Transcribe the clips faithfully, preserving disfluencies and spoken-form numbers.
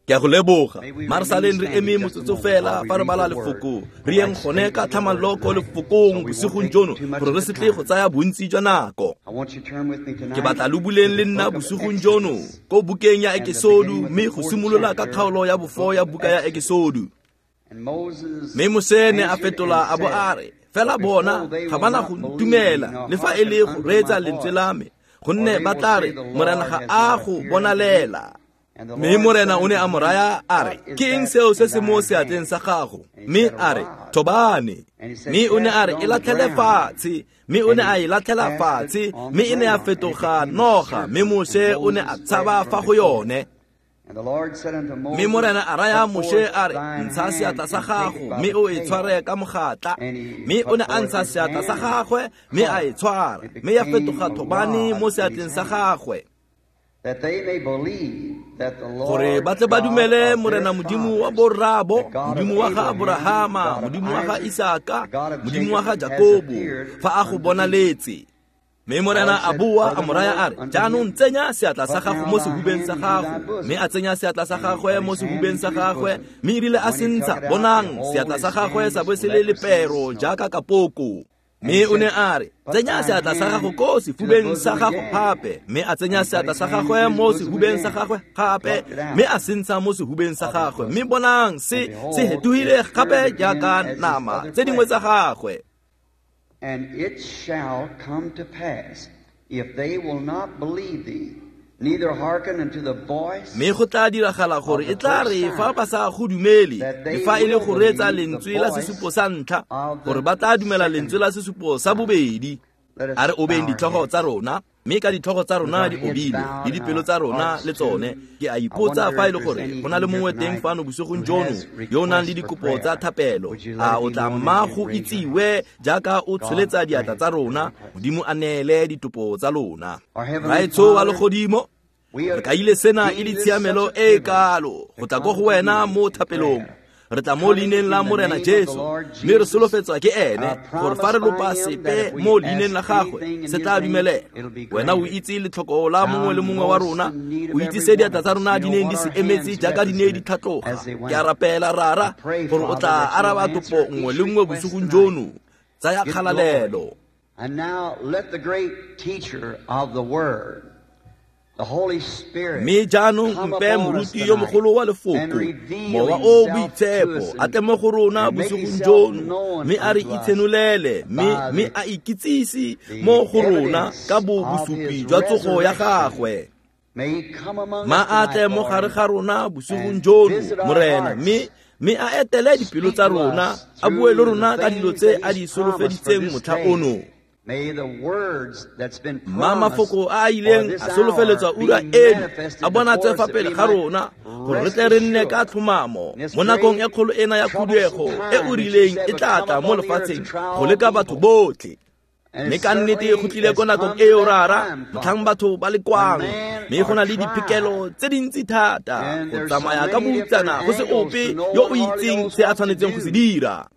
Ke a go leboga. Mma re saleng re eme motsotso fela fa re bala lefoko. Re yeng gone ka tlhamallo ko lefokong bosigong jono gore re se tle go tsaya bontsi jwa nako. Ke batla lo buleng le nna bosigong jono ko bukeng ya Ekesodu, mme go simolola ka kgaolo ya bofo ya buka ya Ekesodu. Mme Moshe ne a fetola a bo a re, fela bona ga ba na go ntumela le fa e le go reetsa lentswe la me, gonne ba tla re, Morena ga a go bonalela. Mme Morena o ne a mo raya a re, ke eng seo se se mo seatleng sa gago? Mme a re, thobane. Mme o ne a re, e latlhele fatshe. Mme o ne a e latlhela fatshe, mme e ne ya fetoga noga, mme Moshe o ne a tshaba fa go yone. Mme Morena a raya Moshe a re, ntsha seatla sa gago, mme o e tshware ka mogatla. Mme o ne a ntsha seatla sa gagwe, mme a e tshwara, mme ya fetoga thobane mo seatleng sa gagwe. Gore ba tle ba dumele Morena Modimo wa borraabo, Modimo wa ga Aborahama, Modimo wa ga Isaka, Modimo wa ga Jakobo, fa a go bonaletse. Mme Morena a boa a mo raya a re, jaanong tsenya seatla sa gago mo sehubeng sa gago. Mme a tsenya seatla sa gagwe mo sehubeng sa gagwe, mme erile a se ntsha, bonang, seatla sa gagwe sa bo se le lepero jaaka kapoko. Mme o ne a re, tsenya seatla sa gago ko sefubeng sa gago gape. Mme a tsenya seatla sa gagwe mo sehubeng sa gagwe gape, mme a se ntsha mo sehubeng sa gagwe. Mme bonang, se se hetogile gape jaaka nama tse dingwe tsa gagwe. And it shall come to pass, if they will not believe thee, neither hearken unto the voice. Mme go tla diragala gore e tla re fa ba sa go dumele, le fa e le go reetsa lentswe la sesupo sa ntlha, gore ba tla dumela lentswe la sesupo sa bobedi. A re obeng ditlhogo tsa rona, mme ka ditlhogo tsa rona di obile, le dipelo tsa rona le tsone. Ke a ipotsa fa e le gore go na le mongwe teng fano bosigong jono yo o nang le dikopo tsa thapelo. A o tla mma go itsiwe jaaka o tsholetsa diatla tsa rona, Modimo a neele ditopo tsa lona. Raetsho wa legodimo, re kaile sena e le tshiamelo e e kalo go tla ko go wena mo thapelong. Re tla mo leineng la Morena Jesu, mme re solofetswa ke ene gore fa re lopa sepe mo leineng la gagwe se tla dumelela. Wena o itse letlhoko la mongwe le mongwe wa rona, o itse se diatla tsa rona di neng di se emetse jaaka di ne di tlhatloga. Ke a rapela Rara gore o tla araba topo nngwe le nngwe bosigong jono. Tsaya kgalalelo. And now let the great teacher of the word, the Holy Spirit, mme jaanong mpe moruti yo mogolo wa lefoko, Mowa o Boitshepo, a tle mo go rona bosigong jono, mme a re itshenolele, mme mme a ikitsise mo go rona ka bo bosupi jwa tsogo ya gagwe. Ma a tle mo gare ga rona bosigong jono, Morena, mme mme a etele dipelo tsa rona, a bue le rona ka dilo tse a di solofeditseng motlha ono. Mma mafoko a a ileng a solofeletswa ura eno a bonatswe fa pele ga rona, gore re tle re nne ka tlhomamo mo nakong e kgolo ena ya khuduego e o rileng e tla tla mo lefatsheng go leka batho botlhe. Mme ka nnete go tlile ko nakong eo Rara, motlhang batho ba le kwang, mme go na le diphikelo tse dintsi thata go tsamaya ka boutsana go se ope yo o itseng se a tshwanetseng go se dira.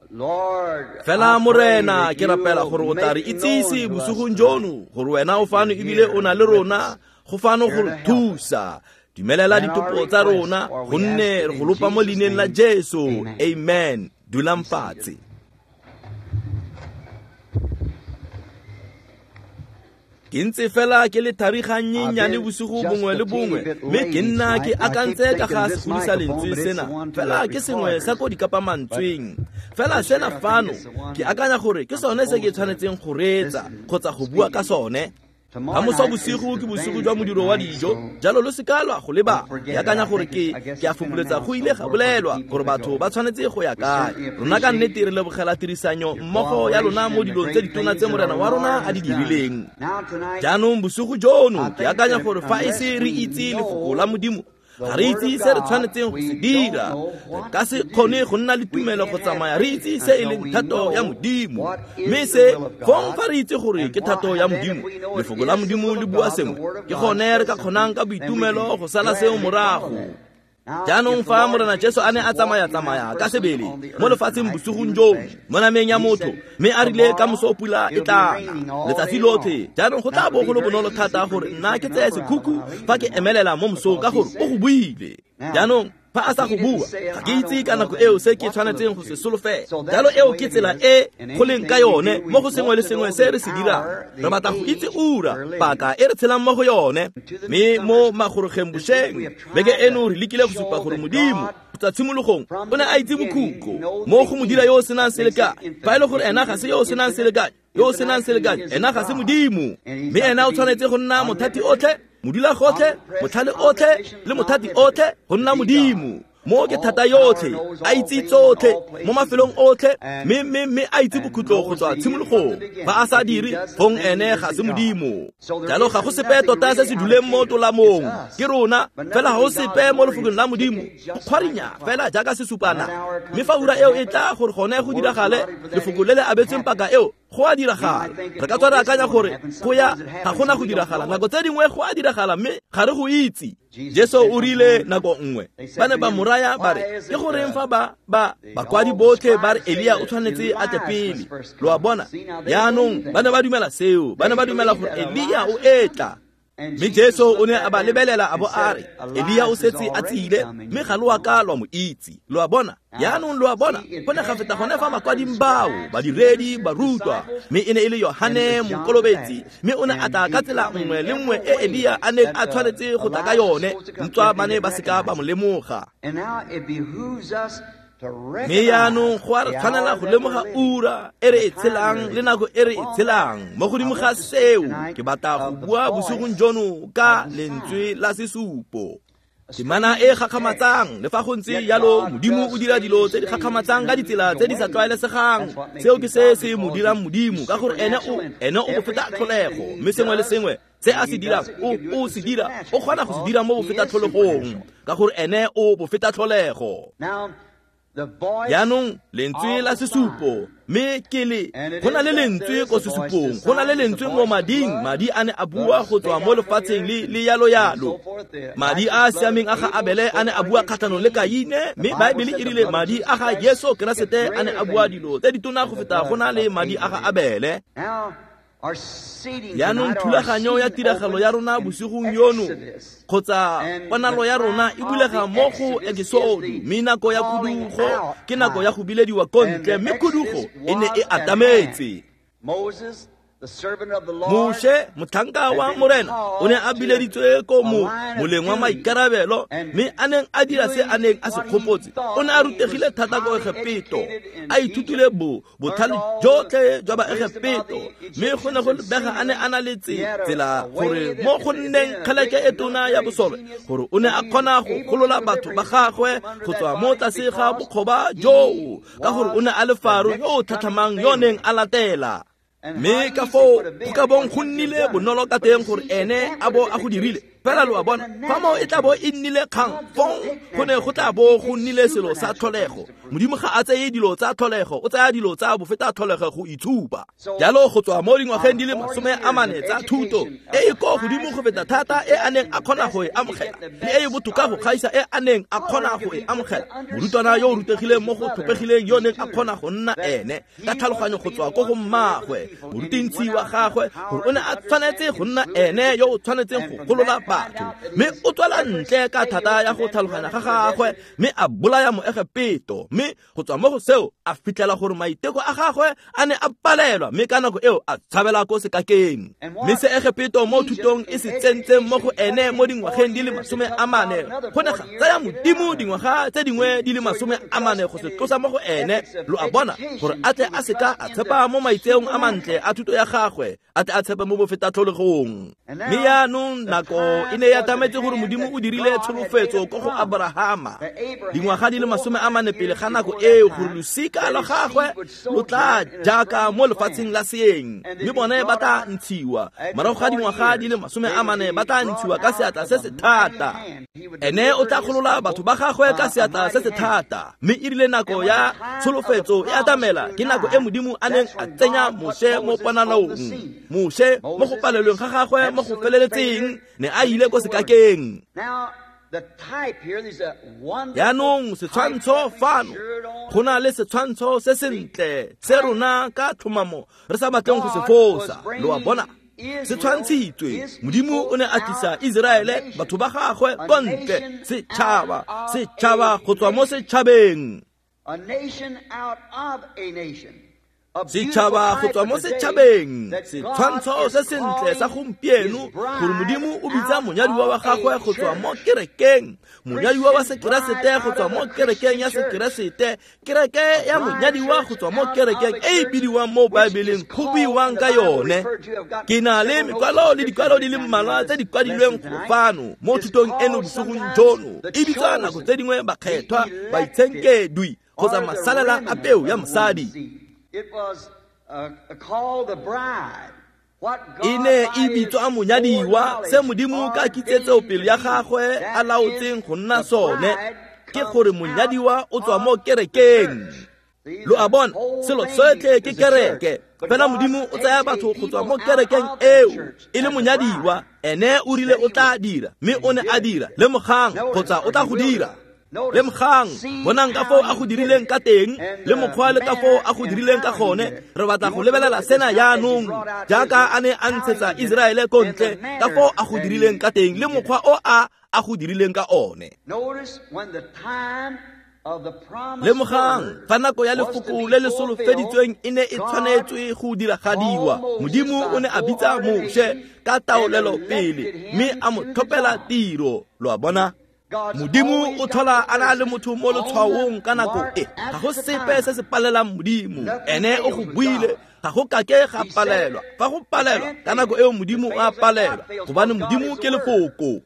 Fela Morena, ke rapela gore o tla re itsise bosigong jono gore wena o fano ebile o na le rona go fano go re thusa. Dumelela ditopo tsa rona, gonne re go lopa mo leineng la Jesu. Amen. Dulang fatshe. Ke ntse fela ke le thariganyenyane bosigo bongwe le bongwe, mme ke nna ke akantse ka ga segodisa lentswe sena, fela ke sengwe sa ko dikapamantsweng. Fela sena fano, ke akanya gore ke sone se ke tshwanetseng go reetsa kgotsa go bua ka sone. Ka moso bosigo ke bosigo jwa modiro wa dijo, jalo lo se ka lwa go leba. Ke akanya gore ke ke a fopholetsa go ile ga bolelwa gore batho ba tshwanetse go ya kae. Rona ka nnete re lebogela tirisanyo mmogo ya lona mo dilong tse ditona tse Morena wa rona a di dirileng. Jaanong bosigo jono ke akanya gore fa e se re itse lefoko la Modimo, ga re itse se re tshwanetseng go se dira. Re ka se kgone go nna le tumelo go tsamaya re itse se e leng thato ya Modimo. Mme se fong fa re itse gore ke thato ya Modimo, lefoko la Modimo le bua sengwe, ke gone re ka kgonang ka boitumelo go sala seo morago. Jaanong fa Morena Jesu a ne a tsamaya-tsamaya ka sebele mo lefatsheng bosigong jono mo nameng ya motho, mme a rile ka moso pula e tla na letsatsi lotlhe, jaanong go tla bo go le bonolo thata gore nna ke tseye sekhukhu fa ke emelela mo mosong ka gore o go buile. Jaanong Fa a sa go bua, ga ke itse ka nako eo se ke tshwanetseng go se solofela. Jalo eo ke tsela e go leng ka yone mo go sengwe le sengwe se re se dirang. Re batla go itse ura, paka e re tshelang mo go yone. Mme mo magorogeng bošeng, beke eno re lekile go supa gore Modimo tsa tshimologong o ne a itse bokhutlo mo go mo dira yo o senang selekanyo. Fa e le gore ena ga se yo o senang selekanyo, yo o senang selekanyo, ena ga se Modimo. Mme ena o tshwanetse go nna mothati otlhe, modula gotlhe, motlhale otlhe le mothati otlhe go nna Modimo. Mo ke thata yotlhe, a itse tsotlhe mo mafelong otlhe, mme mme mme a itse bokhutlo go tswa tshimologong. Fa a sa dire, gong ene ga se Modimo. Jalo ga go sepe tota se se duleng mo tolamong, ke rona fela ga go sepe mo lefokong la Modimo. Go kgwarinya fela jaaka sesupana. Mme fa ura eo e tla gore gone go diragale, lefoko le le abetsweng paka eo go a diragala. Re ka tswa re akanya gore go ya ga gona go diragala. Nako tse dingwe go a diragala mme ga re go itse. Jesu o rile nako nngwe, ba ne ba mo raya ba re, ke goreng fa ba ba bakwadi botlhe ba re Elia o tshwanetse a tle pele. Lo a bona? Jaanong ba ne ba dumela seo, ba ne ba dumela gore Elia o etla. Mme Jesu o ne a ba lebelela a bo a re, Elia o setse a tsile, mme ga lo a ka lwa mo itse. Lo a bona? Jaanong lo a bona, go ne ga feta gone fa makwading bao, badiredi, barutwa, mme e ne e le Yohane Mokolobetsi, mme o ne a tla ka tsela nngwe le nngwe e Elia a neng a tshwanetse go tla ka yone, ntswa ba ne ba seka ba mo lemoga. Mme jaanong go a re tshwanela go lemoga ura e re e tshelang le nako e re e tshelang. Mo godimo ga seo, ke batla go bua bosigong jono ka lentswe la sesupo. Temana e gakgamatsang, le fa go ntse jalo Modimo o dira dilo tse di gakgamatsang ka ditsela tse di sa tlwaelesegang. Seo ke se se mo dirang Modimo, ka gore ene o ene o bofeta tlholego, mme sengwe le sengwe se a se dirang o o se dira, o kgona go se dira mo bofeta tlholegong, ka gore ene o bofeta tlholego. Jaanong lentswe la sesupo, mme ke le go na le lentswe ko sesupong, go na le lentswe mo mading. Madi a ne a bua go tswa mo lefatsheng le le yalo yalo. Madi a a siameng a ga Abele a ne a bua kgatlhanong le Kaine, mme Baebele e rile madi a ga Jesu Keresete a ne a bua dilo tse ditona go feta go na le madi a ga Abele. Jaanong thulaganyo ya tiragalo ya rona bosigong yono, kgotsa ponalo ya rona e bulega mo go Ekisodo, mme nako ya khudugo ke nako ya go bilediwa ko ntle, mme khudugo e ne e atametse. Moshe, motlhanka wa Morena, o ne a bileditswe ko mo moleng wa maikarabelo, mme a neng a dira se a neng a se gopotse. O ne a rutegile thata ko Egepeto, a ithutile bo botlhale jotlhe jwa Baegepeto, mme go ne go lebega a ne a na le tsela gore mo go nneng kgeleke e tona ya bosole, gore o ne a kgona go golola batho ba gagwe go tswa mo tlase ga bokgoba joo, ka gore o ne a le Faro yo o tlhatlhamang yo neng a latela. Mme ka foo go ka bong go nnile bonolo ka teng gore ene a bo a go dirile. Fela lo a bona, fa moo e tla bo e nnile kgang, fong go ne go tla bo go nnile selo sa tlholego. Modimo ga a tseye dilo tsa tlholego, o tsaya dilo tsa bofeta tlholego go itshupa. Jalo go tswa mo dingwageng di le masome a mane tsa thuto e e ko godimo go feta thata e a neng a kgona go e amogela, le e e botoka go gaisa e a neng a kgona go e amogela. Morutwana yo o rutegileng mo go tlhophegileng yo neng a kgona go nna ene ka tlhaloganyo go tswa ko go mmagwe, morutintshi wa gagwe, gore o ne a tshwanetse go nna ene yo o tshwanetseng go golola batho. Mme o tswela ntle ka thata ya go tlhaloganya ga gagwe, mme a bolaya Moegepeto. Mme go tswa mo go seo a fitlhela gore maiteko a gagwe a ne a palelwa, mme ka nako eo a tshabela ko sekakeng. Mme se Egepeto mo thutong e se tsentseng mo go ene mo dingwageng di le masome a mane, go ne ga tsaya Modimo dingwaga tse dingwe di le masome a mane go se tlosa mo go ene. Lo a bona, gore a tle a seka a tshepa mo maitseong a mantle a thuto ya gagwe, a tle a tshepe mo bofeta tlholegong. Mme jaanong nako e ne ya atametse gore Modimo o dirile tsholofetso ko go Abrahama dingwaga di le masome a mane pele ga nako eo, gore losika la gagwe lo tla jaaka mo lefatsheng la seeng, mme bone ba tla ntshiwa morago ga dingwaga di le masome a mane, ba tla ntshiwa ka seatla se se thata. Ene o tla golola batho ba gagwe ka seatla se se thata. Mme e rile nako ya tsholofetso e atamela, ke nako e Modimo a neng a tsenya Moshe mo ponalong. Moshe mo go palelweng ga gagwe mo go feleletseng ne a ile ko sekakeng. Jaanong setshwantsho fano, go na le setshwantsho se sentle se rona ka tlhomamo re sa batleng go se fosa. Lo a bona, Se tshwantshitswe. Modimo o ne a tlisa Iseraele, batho ba gagwe ko ntle, setšhaba, setšhaba go tswa mo setšhabeng. A nation out of a nation. Setšhaba go tswa mo setšhabeng, setshwantsho se sentle sa gompieno gore Modimo o bitsa monyadiwa wa gagwe go tswa mo kerekeng, monyadiwa wa Sekeresete go tswa mo kerekeng ya Sekeresete, kereke ya monyadiwa go tswa mo kerekeng e e bidiwang mo Baebeleng go buiwang ka yone. Ke na le mekwalo le dikwalo di le mmalwa tse di kwadilweng go fano mo thutong eno bosigong jono. E bitswa nako tse dingwe bakgethwa, baitshenkedwi kgotsa masalela a peo ya mosadi. It was uh, called the bride. What God E ne e bitswa monyadiwa, se Modimo ka kitsetseo pele ya gagwe a laotseng go nna sone, ke gore monyadiwa o tswa mo kerekeng. Lo a bona, selo sotlhe ke kereke. Fela Modimo o tsaya batho go tswa mo kerekeng eo e le monyadiwa, ene o rile o tla dira, mme o ne a dira. Lemogang kgotsa o tla go dira. Lemogang, bonang ka foo a go dirileng ka teng, le mokgwa le ka foo a go dirileng ka gone. Re batla go lebelela sena jaanong, jaaka a ne a ntshetsa Iseraele ko ntle, ka foo a go dirileng ka teng, le mokgwa o a a go dirileng ka one. Lemogang, fa nako ya lefoko le le solofeditsweng e ne e tshwanetswe go diragadiwa, Modimo o ne a bitsa Moshe ka taolelo pele, mme a mo tlhophela tiro. Lo a bona? Modimo o tlhola a na le motho mo letshwaong ka nako e. Ga go sepe se se palelang Modimo. Ene o go buile, ga go kake ga palelwa. Fa go palelwa, ka nako eo Modimo o a palelwa, gobane Modimo ke lefoko.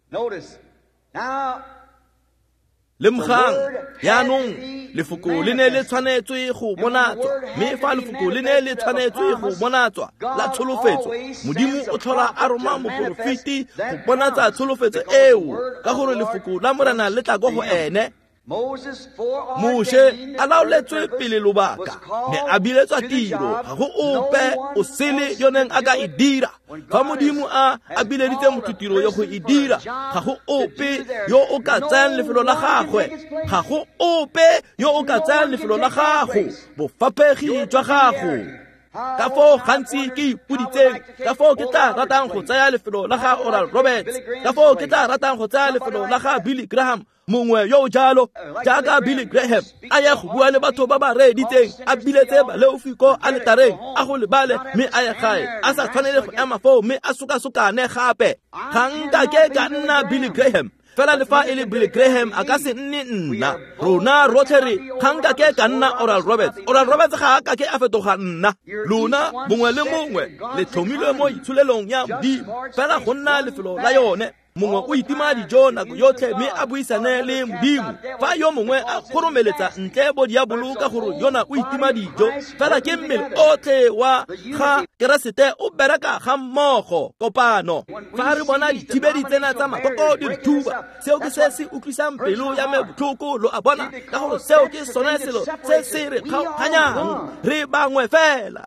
Lemogang, jaanong lefoko le ne le tshwanetswe go bonatswa, mme fa lefoko le ne le tshwanetswe go bonatswa la tsholofetso, Modimo o tlhola a roma moporofeti go bonatsa tsholofetso eo, ka gore lefoko la Morena le tla ko go ene. Moshe a laoletswe pele lobaka, ne a biletswa tiro, ga go ope o sele yo neng a ka e dira. Fa Modimo a a bileditse motho tiro yo go e dira, ga go ope yo o ka tsayang lefelo la gagwe, ga go ope yo o ka tsayang lefelo la gago, bofaphegi jwa gago. Ka foo gantsi ke ipoditseng, ka foo ke tla ratang go tsaya lefelo la ga Oral Roberts, ka foo ke tla ratang go tsaya lefelo la ga Billy Graham, mongwe yo o jalo jaaka Billy Graham, a ye go bua le batho ba ba reeditseng, a biletse baleofi ko aletareng, a go lebale mme a ye gae, a sa tshwanele go ema foo mme a sokasokane gape. Ga nkake ka nna Billy Graham, fela le fa e le Billy Graham a ka se nne nna. Rona rotlhe re ga nkake ka nna Oral Roberts. Oral Roberts ga a kake a fetoga nna. Lona mongwe le mongwe le tlhomilwe mo itsholelong ya Modimo, fela go nna lefelo la yone. Mongwe o itima dijo nako yotlhe mme a buisane le Modimo. Fa yo mongwe a kgoromeletsa ntle bo diabolo ka gore yona o itima dijo, fela ke mmele otlhe wa ga Keresete o bereka ga mmogo kopano. Fa re bona dithibedi tsena tsa makoko di re thuba, seo ke se se utlwisang pelo ya me botlhoko, lo a bona, ka gore seo ke sone selo se se re kgaoganyang. Re bangwe fela.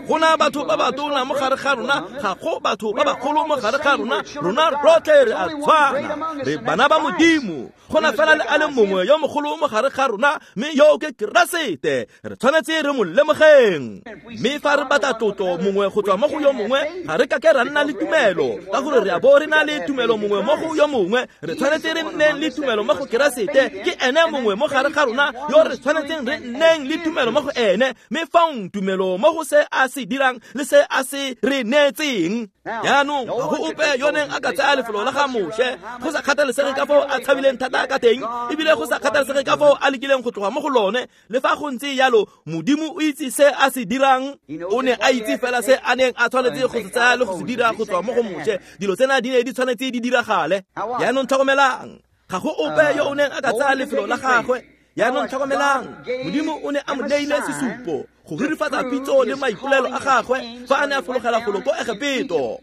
Gona batho ba batona mo gare ga rona, ga go batho ba bagolo mo gare ga rona, rona rotlhe re a tshwana, re bana ba Modimo. Gona fela le a le mongwe yo mogolo mo gare ga rona, mme yo ke Keresete. Re tshwanetse re mo lemogeng. Mme fa re batla tlotlo mongwe go tswa mo go yo mongwe, ga re kake ra nna le tumelo, ka gore re a bo re na le tumelo mongwe mo go yo mongwe. Re tshwanetse re nneng le tumelo mo go Keresete. Ke ene mongwe mo gare ga rona yo re tshwanetseng re nneng le tumelo mo go ene, mme faong tumelo mo go se a se dirang le se a se re neetseng. Jaanong ga go ope yo neng a ka tsaya lefelo la ga Moshe, go sa kgathalesege ka foo a tshabileng thata ka teng, ebile go sa kgathalesege ka foo a lekileng go tloga mo go lone. Le fa go ntse jalo, Modimo o itse se a se dirang. O ne a itse fela se a neng a tshwanetse go se tsaya le go se dira go tswa mo go Moshe. Dilo tsena di ne di tshwanetse di diragale. Jaanong tlhokomelang, ga go ope yo o neng a ka tsaya lefelo la gagwe. Jaanong tlhokomelang, Modimo o ne a mo neile sesupo go rurifatsa pitso le maipolelo a gagwe fa a ne a fologela golo ko Egepeto.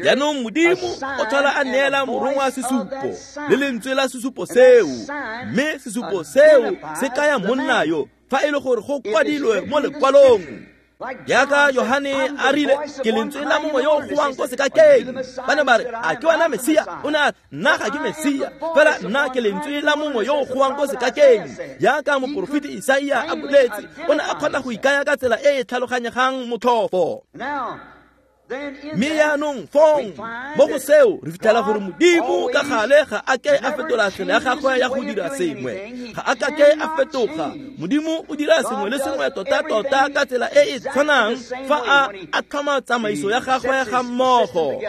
Jaanong Modimo o tlhola a neela morongwa sesupo le lentswe la sesupo seo, mme sesupo seo se kaya monna yo fa e le gore go kwadilwe mo lekwalong. Jaaka Yohane a rile, ke lentswe la mongwe yo o goang ko sekakeng. Ba ne ba re, a ke wena Mesia? O ne a re, nna ga ke Mesia, fela nna ke lentswe la mongwe yo o goang ko sekakeng. Jaaka moporofeti Isaia a boletse, o ne a kgona go ikaya ka tsela e e tlhaloganyegang motlhofo. Mme jaanong fong mo go seo re fitlhela gore Modimo ka gale ga a ke a fetola tsela ya gagwe ya go dira sengwe. Ga a ka ke a fetoga. Modimo o dira sengwe le sengwe tota-tota ka tsela e e tshwanang fa a a tlhoma tsamaiso ya gagwe ga mmogo.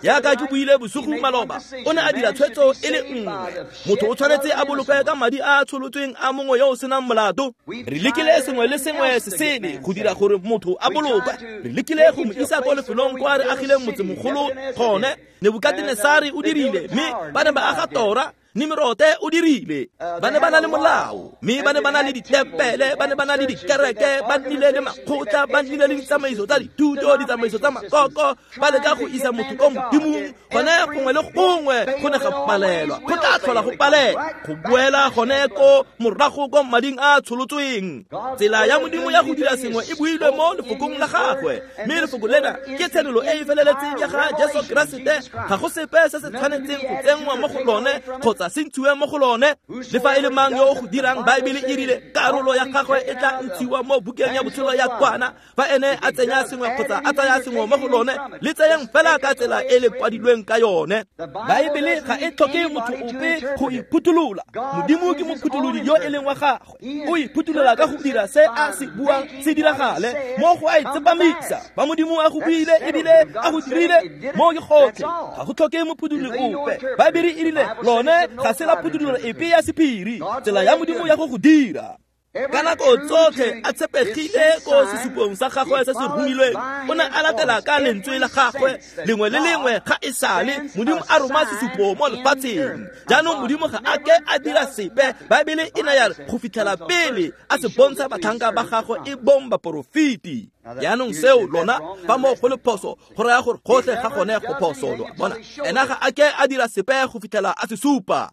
Jaaka ke buile bosigo maloba, o ne a dira tshwetso e le nngwe. Motho o tshwanetse a bolokwe ka madi a a tsholotsweng a mongwe yo o senang molato. Re lekile sengwe le sengwe se sele go dira gore motho a bolokwe. Re lekile go mo isa ko lefelong kwa re agileng motsemogolo gone. Nebukatenesare o dirile, mme ba ne ba aga tora. Nimirote o dirile. Ba ne ba na le molao, mme ba ne ba na le ditempele, ba ne ba na le dikereke, ba nnile le makgotla, ba nnile le ditsamaiso tsa dithuto, ditsamaiso tsa makoko, ba leka go isa motho ko Modimong. Gone gongwe le gongwe go ne ga palelwa, go tla tlhola go palelwa, go boela gone ko morago ko mading a tsholotsweng. Tsela ya Modimo ya go dira sengwe e builwe mo lefokong la gagwe, mme lefoko lena ke tshenolo e e feleletseng ya ga Jesu Keresete. Ga go sepe se se tshwanetseng go tsenngwa mo go lone kgotsa se ntshiwe mo go lone. Le fa e le mang yo o go dirang, Baebele e rile karolo ya gagwe e tla ntshiwa mo bukeng ya botshelo ya kwana. Fa ene a tsenya sengwe kgotsa a tsaya sengwe mo go lone, le tseyang fela ka tsela e le kwadilweng ka yone. Baebele ga e tlhoke motho ope go iphuthulola. Modimo ke mophutholodi yo e leng wa gagwe. O iphuthulola ka go dira se a se buang se diragale, mo go a itsepamisa. Fa Modimo a go buile ebile a go dirile, mo ke gotlhe. Ga go tlhoke mophutholodi ope. Baebele e rile lone ga se la phuthololo epe ya sephiri, tsela ya Modimo ya go go dira. Ka nako tsotlhe a tshepegile ko sesupong sa gagwe se se romilweng, o ne a latela ka lentswe la gagwe lengwe le lengwe ga e sale Modimo a roma sesupo mo lefatsheng. Jaanong Modimo ga a ke a dira sepe. Baebele e ne ya re go fitlhela pele a se bontsha batlhanka ba gagwe e bong baporofeti. Jaanong seo lona fa mo go le phoso, go raya gore gotlhe ga gone go phoso. Lo a bona, ena ga a ke a dira sepe go fitlhela a se supa.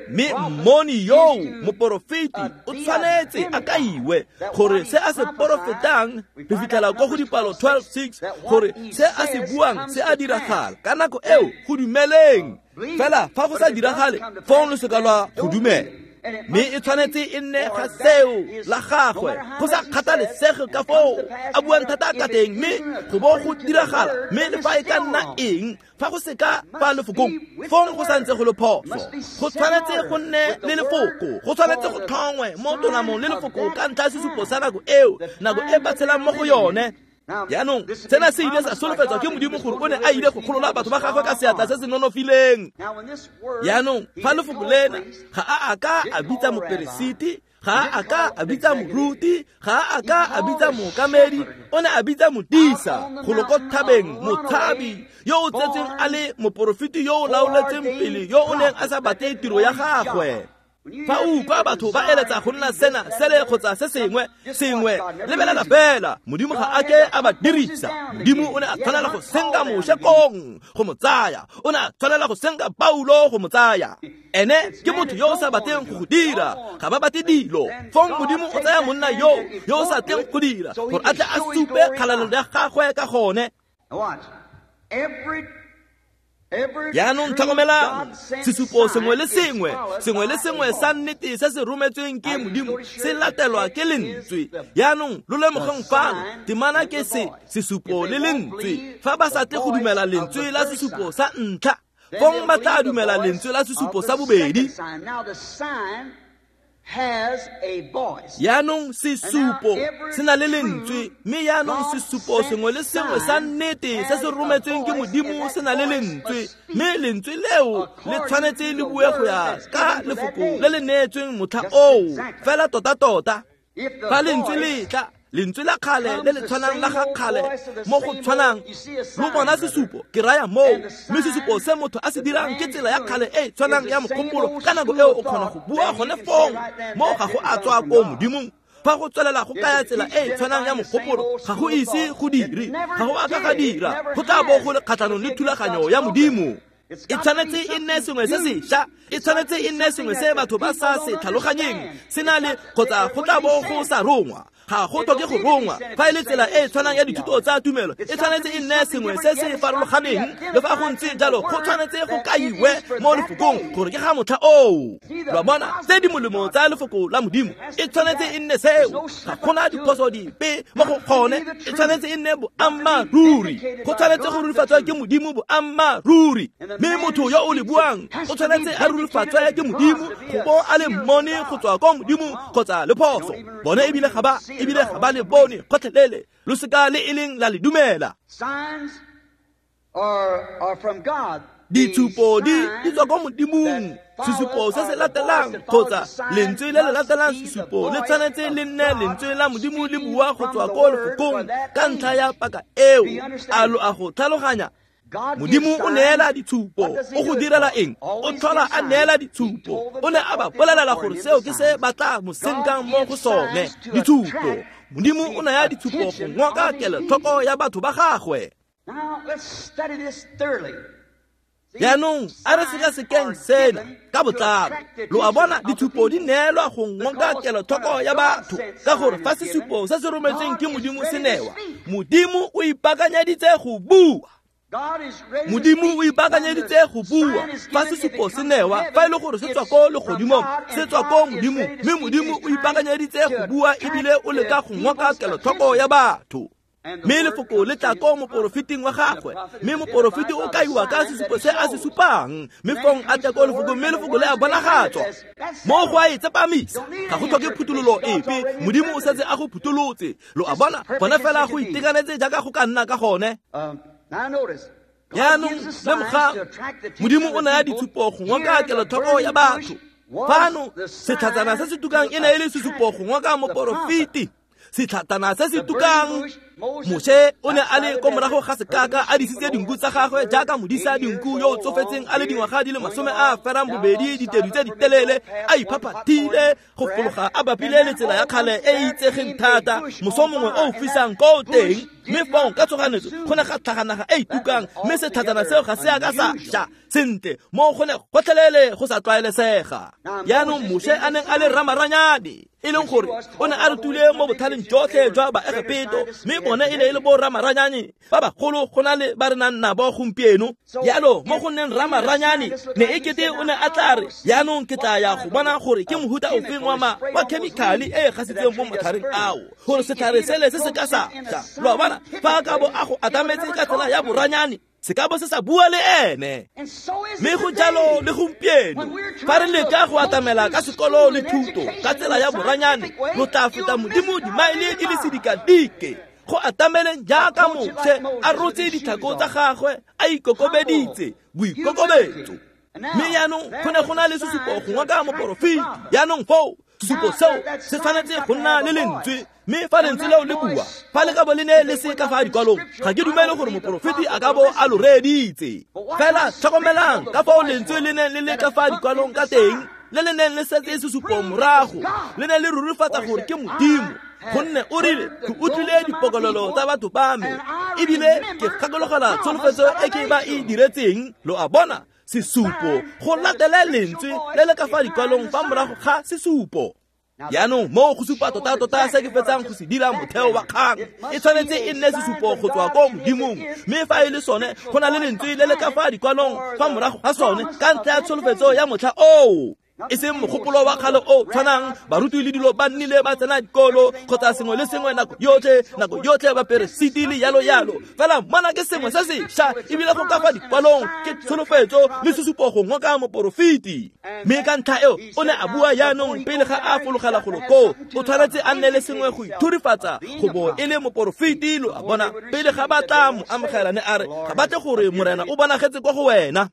Mme mmoni yo moporofeti o tshwanetse a kaiwe gore se a se porofetang, re fitlhela ko go dipalo twelve six, gore se a se buang se a diragala ka nako eo, go dumeleng. Fela fa go sa diragale, fong lo seka lwa go dumela. Mme e tshwanetse e nne ga seo la gagwe, go sa kgathalesege ka foo a buang thata ka teng, mme go bo go diragala. Mme le fa e ka nna eng, fa go se ka fa lefokong, fong go santse go le phoso. Go tshwanetse go nne le lefoko, go tshwanetse go tlhongwe mo tolamong le lefoko ka ntlha ya sesupo sa nako eo, nako e ba tshelang mo go yone. Jaanong sena se ile sa solofetswa ke Modimo gore o ne a ile go golola batho ba gagwe ka seatla se se nonofileng. Jaanong fa lefoko lena ga a a ka a bitsa moperesiti, ga a ka a bitsa moruti, ga a ka a bitsa mookamedi, o ne a bitsa modisa go lo ko thabeng, motshabi yo o tsetseng a le moporofeti yo o laoletseng pele, yo o neng a sa batle tiro ya gagwe. Fa o utlwa batho ba eletsa go nna sena sele kgotsa se sengwe sengwe, lebelela fela, Modimo ga a ke a ba dirisa. Modimo o ne a tshwanela go senka Moshe kong go mo tsaya, o ne a tshwanela go senka Paulo go mo tsaya. Ene ke motho yo o sa batleng go go dira, ga ba batle dilo. Fong Modimo o tsaya monna yo yo o sa tleng go dira gore a tle a supe kgalalelo ya gagwe ka gone. Jaanong tlhokomelang, sesupo sengwe le sengwe, sengwe le sengwe sa nnete se se rometsweng ke Modimo se latelwa ke lentswe. Jaanong lo lemogeng fano, temana ke se sesupo le lentswe. Fa ba sa tle go dumela lentswe la sesupo sa ntlha, fong ba tla dumela lentswe la sesupo sa bobedi. Jaanong sesupo se na le lentswe, mme jaanong sesupo sengwe le sengwe sa nnete se se rometsweng ke Modimo se na le lentswe, mme lentswe leo le tshwanetse le bue go ya ka lefoko le le neetsweng motlha oo fela tota-tota. Fa lentswe le tla, lentswe la kgale le le tshwanang la ga kgale mo go tshwanang, lo bona sesupo, ke raya moo. Mme sesupo se motho a se dirang ke tsela ya kgale e tshwanang ya mogopolo. Ka nako eo o kgona go bua gone fong, mo ga go a tswa ko Modimong. Fa go tswelela go kaya tsela e tshwanang ya mogopolo, ga go ise go dire, ga go a ka ga dira, go tla bo go le kgatlhanong le thulaganyo ya Modimo. E tshwanetse e nne sengwe se sešwa, e tshwanetse e nne sengwe se batho ba sa se tlhaloganyeng, se na le kgotsa go tla bo go sa rongwa. Ga go tlhoke go rongwa. Fa e le tsela e e tshwanang ya dithuto tsa tumelo, e tshwanetse e nne sengwe se se farologaneng. Le fa go ntse jalo, go tshwanetse go kaiwe mo lefokong gore ke ga motlha oo. Lo a bona, tse di molemo tsa lefoko la Modimo e tshwanetse e nne seo. Ga gona diphoso dipe mo go gone, e tshwanetse e nne boammaaruri. Go tshwanetse go rurifatswa ke Modimo boammaaruri. Mme motho yo o le buang o tshwanetse a rurifatswe ke Modimo go bo a le mmone go tswa ko Modimo kgotsa le phoso. Bone ebile ga ba ebile ga ba le bone gotlhelele. Lo seka le e leng la le dumela. Ditshupo di di tswa ko Modimong. Sesupo se se latelang kgotsa lentswe le le latelang sesupo le tshwanetse le nne lentswe la Modimo le bua go tswa ko lefokong ka ntlha ya paka eo. A lo a go tlhaloganya? Modimo o neela ditshupo. O go direla eng? O tlhola a neela ditshupo. O ne a ba bolelela gore seo ke se ba tla mo senkang mo go sone. Ditshupo. Modimo o naya ditshupo go ngoka kelotlhoko ya batho ba gagwe. Jaanong a re sekasekeng sena ka botlalo. Lo a bona, ditshupo di neelwa go ngoka kelotlhoko ya batho, ka gore fa sesupo se se rometsweng ke Modimo se newa, Modimo o ipaakanyeditse go bua. Modimo o ipaakanyeditse go bua. Fa sesupo se newa, fa e le gore se tswa ko legodimong, se tswa ko Modimo, mme Modimo o ipaakanyeditse go bua ebile o leka go ngoka kelotlhoko ya batho. Mme lefoko le tla ko moporofeting wa gagwe, mme moporofeti o kaiwa ka sesupo se a se supang, mme fong a tla ko lefoko, mme lefoko le a bonagatswa. Mo go a e tsepamisa, ga go tlhoke phuthololo epe. Modimo o setse a go phutholotse. Lo a bona, gone fela go itekanetse jaaka go ka nna ka gone. Jaanong lemogang, Modimo o naya ditshupo go ngoka kelotlhoko ya batho. Fano setlhatsana se se tukang e ne e le sesupo go ngoka moporofeti. Setlhatana se se tukang, Moshe o ne a le ko morago ga sekaka a disitse dinku tsa gagwe jaaka modisa dinku yo o tsofetseng a le dingwaga di le masome a ferang bobedi, ditedu tse di telele, a iphaphathile go fologa a bapile le tsela ya kgale e e itsegeng thata, moso mongwe o o fisang ko teng. Mme fong ka tshoganetso go ne ga tlhaga naga e e tukang, mme setlhatsana seo ga se a ka sa ja sentle mo go ne gotlhelele go sa tlwaelesega. Jaanong Moshe a neng a le ramaranyane, e leng gore o ne a rutile mo botlhaleng jotlhe jwa Baegepeto, mme bone e ne e le bo ramaranyane ba bagolo go na le ba re nang nabo gompieno. Jalo mo go nneng ramaranyane, ne e kete o ne a tla re, jaanong ke tla ya go bona gore ke mohuta ofeng wa ma wa chemical e e gasitseng mo matlhareng ao, gore setlhare sele se se ka sa ja. Lo a bona, fa a ka bo a go atametse ka tsela ya boranyane, se ka bo se sa bua le ene. Mme go jalo le gompieno, fa re leka go atamela ka sekolo le thuto ka tsela ya boranyane, lo tla feta Modimo dimaele di le sedikadike. Go atameleng jaaka Moshe a rotse ditlhako tsa gagwe, a ikokobeditse, boikokobetso. Mme jaanong go ne go na le sesupo go ngoka moporofeti. Jaanong foo sesupo seo se tshwanetse go nna le lentswe, mme fa lentswe leo le bua, fa le ka bo le ne le se ka fa dikwalong, ga ke dumele gore moporofeti a ka bo a lo reeditse. Fela tlhokomelang ka fao lentswe le neng le le ka fa dikwalong ka teng, le le neng le setse sesupo morago, le ne le rurifatsa gore ke Modimo. Gonne o rile, ke utlwile dipokololo tsa batho ba me, ebile ke gakologelwa tsholofetso e ke ba e diretseng. Lo a bona, sesupo go latele lentswe le le ka fa dikwalong fa morago ga sesupo. Jaanong mo go supa tota-tota se ke fetsang go se dira motheo wa kgang, e tshwanetse e nne sesupo go tswa ko Modimong. Mme fa e le sone, go na le lentswe le le ka fa dikwalong fa morago ga sone ka ntlha ya tsholofetso ya motlha oo. E seng mogopolo wa kgale o tshwanang, baruti le dilo ba nnile ba tsena dikolo kgotsa sengwe le sengwe nako yotlhe, nako yotlhe ba peresiti le yalo yalo. Fela mona ke sengwe se sešwa, ebile go ka fa dikwalong ke tsholofetso le sesupo go ngoka moporofeti. Mme ka ntlha eo o ne a bua jaanong pele ga a fologela golo koo, o tshwanetse a nne le sengwe go ithurifatsa go bo e le moporofeti. Lo a bona, pele ga ba tla mo amogela, ne a re ga batle gore Morena o bonagetse kwa go wena.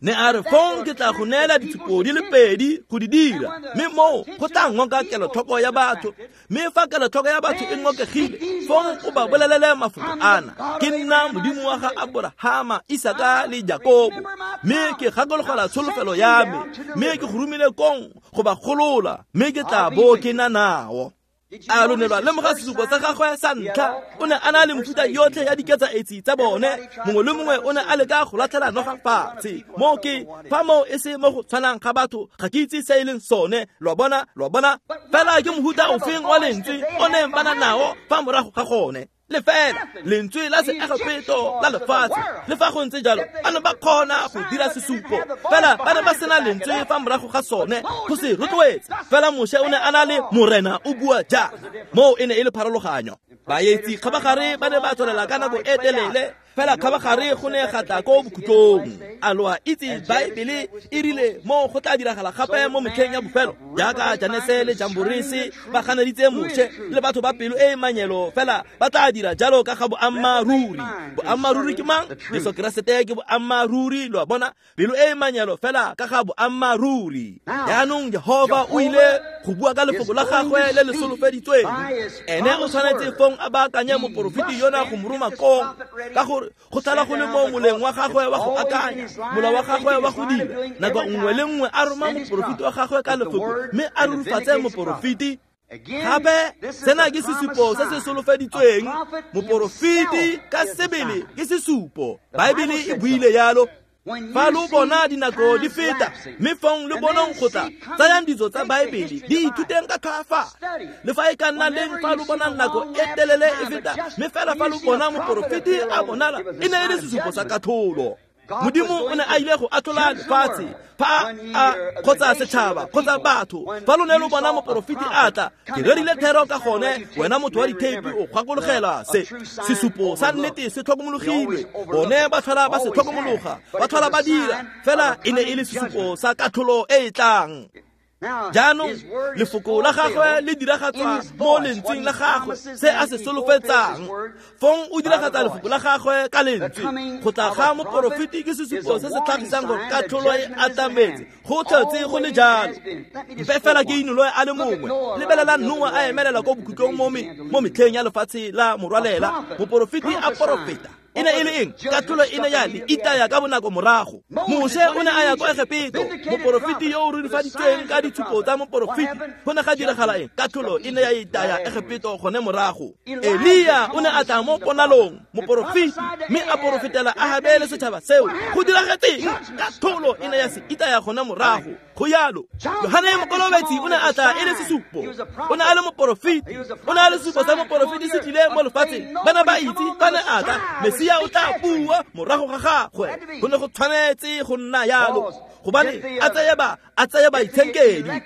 Ne a re fong ke tla go neela ditshupo di le pedi go di dira, mme moo go tla ngoka kelotlhoko ya batho. Mme fa kelotlhoko ya batho e ngokegile, fong o ba bolelele mafoko ana, ke nna Modimo wa ga Aborahama, Isaka le Jakobo, mme ke gakologelwa tsholofelo ya me, mme ke go romile kong go ba golola, mme ke tla bo ke na nao. A lo ne lwa lemoga sesupo sa gagwe sa ntlha? O ne a na le mefuta yotlhe ya diketsaetsi tsa bone. Mongwe le mongwe o ne a leka go latlhela noga fatshe. Moo ke fa moo e se mo go tshwanang ga batho, ga ke itse se e leng sone. Lo a bona, lo a bona. Fela ke mohuta ofeng wa lentswe o neng ba na nao fa morago ga gone? Lefela lentswe la seegepeto la lefatshe. Le fa go ntse jalo, ba ne ba kgona go dira sesupo, fela ba ne ba sena lentswe fa morago ga sone go se rotloetsa. Fela Moshe o ne a na le Morena o bua jaana. Moo e ne e le pharologanyo. Baetsi kgabagare ba ne ba tswelela ka nako e telele, fela kgabagare go ne ga tla ko bokhutlong. A lo a itse Baebele e rile moo go tla diragala gape mo metlheng ya bofelo, jaaka Janese le Jamborese ba ganeditse Moshe le batho ba pelo e e manyelo, fela ba tla dira jalo ka ga boammaaruri. Boammaaruri ke mang? Jesu Keresete ke boammaaruri. Lo a bona, pelo e e manyelo fela ka ga boammaaruri. Jaanong Jehova o ile go bua ka lefoko la gagwe le le solofeditsweng. Ene o tshwanetse fong a baakanye moporofeti yona go mo roma kong, ka gore go tlala go le mo moleng wa gagwe wa go akanya, mola wa gagwe wa go dira. Nako nngwe le nngwe a roma moporofeti wa gagwe ka lefoko, mme a rurifatse moporofeti. Gape sena ke sesupo se se solofeditsweng. Moporofeti ka sebele ke sesupo. Baebele e buile yalo. Fa lo bona dinako di feta, mme fong le bonong go tla, tsayang ditso tsa Baebele, di ithuteng ka tlhoafalo. Le fa e ka nna leng fa lo bona nako e telele e feta, mme fela fa lo bona moporofeti a bonala, e ne e le sesupo sa katlholo. Modimo o ne a ile go atlhola lefatshe fa a kgotsa setšhaba kgotsa batho. Fa lo ne lo bona moporofeti a tla, ke rerile thero ka gone, wena motho wa ditheipi o gakologelwa se. Sesupo sa nnete se tlhokomologilwe. Bone ba tlhola ba se tlhokomologa, ba tlhola ba dira, fela e ne e le sesupo sa katlholo e e tlang. Jaanong lefoko la gagwe le diragatswa mo lentsweng la gagwe, se a se solofetsang. Fong o diragatsa lefoko la gagwe ka lentswe. Go tla ga moporofeti ke sesupo se se tlhagisang gore katlholo e atametse. Go tlhotse go le jalo. Mpe fela ke inoloe a le mongwe. Lebelela Noa a emelela ko bokhutlong mo mo metlheng ya lefatshe la morwalela. Moporofeti a porofeta. E ne e le eng? Katlholo e ne ya le itaya ka bonako morago. Moshe o ne a ya kwa Egepeto, moporofeti yo o rurifaditsweng ka ditshupo tsa moporofeti. Go ne ga diragala eng? Katlholo e ne ya itaya Egepeto gone morago. Elia o ne a tla mo ponalong, moporofeti, mme a porofetela Ahabe le setšhaba seo. Go diragetseng? Katlholo e ne ya se itaya gone morago. Go yalo. Yohane Mokolobetsi o ne a tla e le sesupo. O ne a le moporofeti. O ne a le sesupo sa moporofeti se tlile mo lefatsheng. Bana ba itse ba ne a tla. Mesia o tla bua morago ga gagwe. Go ne go tshwanetse go nna yalo, gobane a tsaya ba a tsaya baitshenkedi.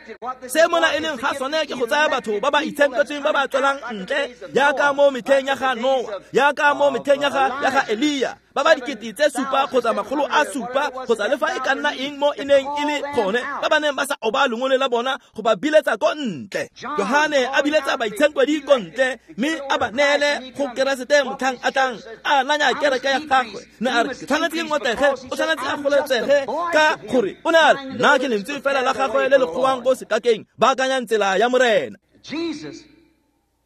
Se mona e leng ga sone ke go tsaya batho ba ba itshenketsweng ba ba tswelang ntle, jaaka mo metlheng ya ga Noa, jaaka mo metlheng ya ga ya ga Elia, ba ba dikete tse supa kgotsa makgolo a supa kgotsa le fa e ka nna eng mo e neng e le gone, ba ba neng ba sa oba lengole la bona go ba biletsa ko ntle. Johane a biletsa baitshenkwedi ko ntle, mme a ba neele go Keresete motlhang a tlang a nanya kereke ya gagwe. Ne a re ke tshwanetse ke ngotege, o tshwanetse a goletsege, ka gore o ne a re nna ke lentswe fela la gagwe le le kgowang ko sekakeng, baakanyang tsela ya Morena.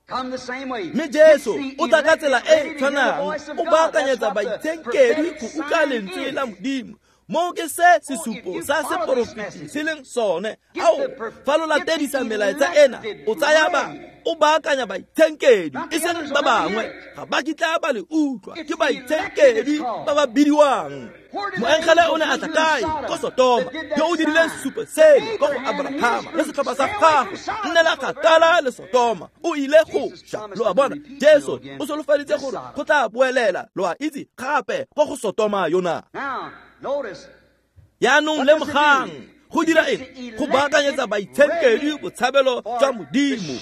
Mme Jesu o tla ka tsela e tshwanang, o baakanyetsa baitshenkedi go utlwa lentswe la Modimo. Moo ke se sesupo sa seporofeti se leng sone. Ao, fa lo latedisa melaetsa ena, o tsaya ba o baakanya baitshenkedi, e seng ba bangwe. Ga ba kitla ba le utlwa, ke baitshenkedi ba ba bidiwang. Moengele o ne a tla kae? Ko Sotoma, yo o dirileng sesupo seno ko go Abrahama le setlhopha sa gagwe. Nnela kgakala le Sotoma, o ile go ša. Lo a bona, Jesu o solofeditse gore go tla boelela, lo a itse, gape ko go Sotoma yona. Jaanong lemogang, go dira eng? Go baakanyetsa baitshenkedi botshabelo jwa Modimo,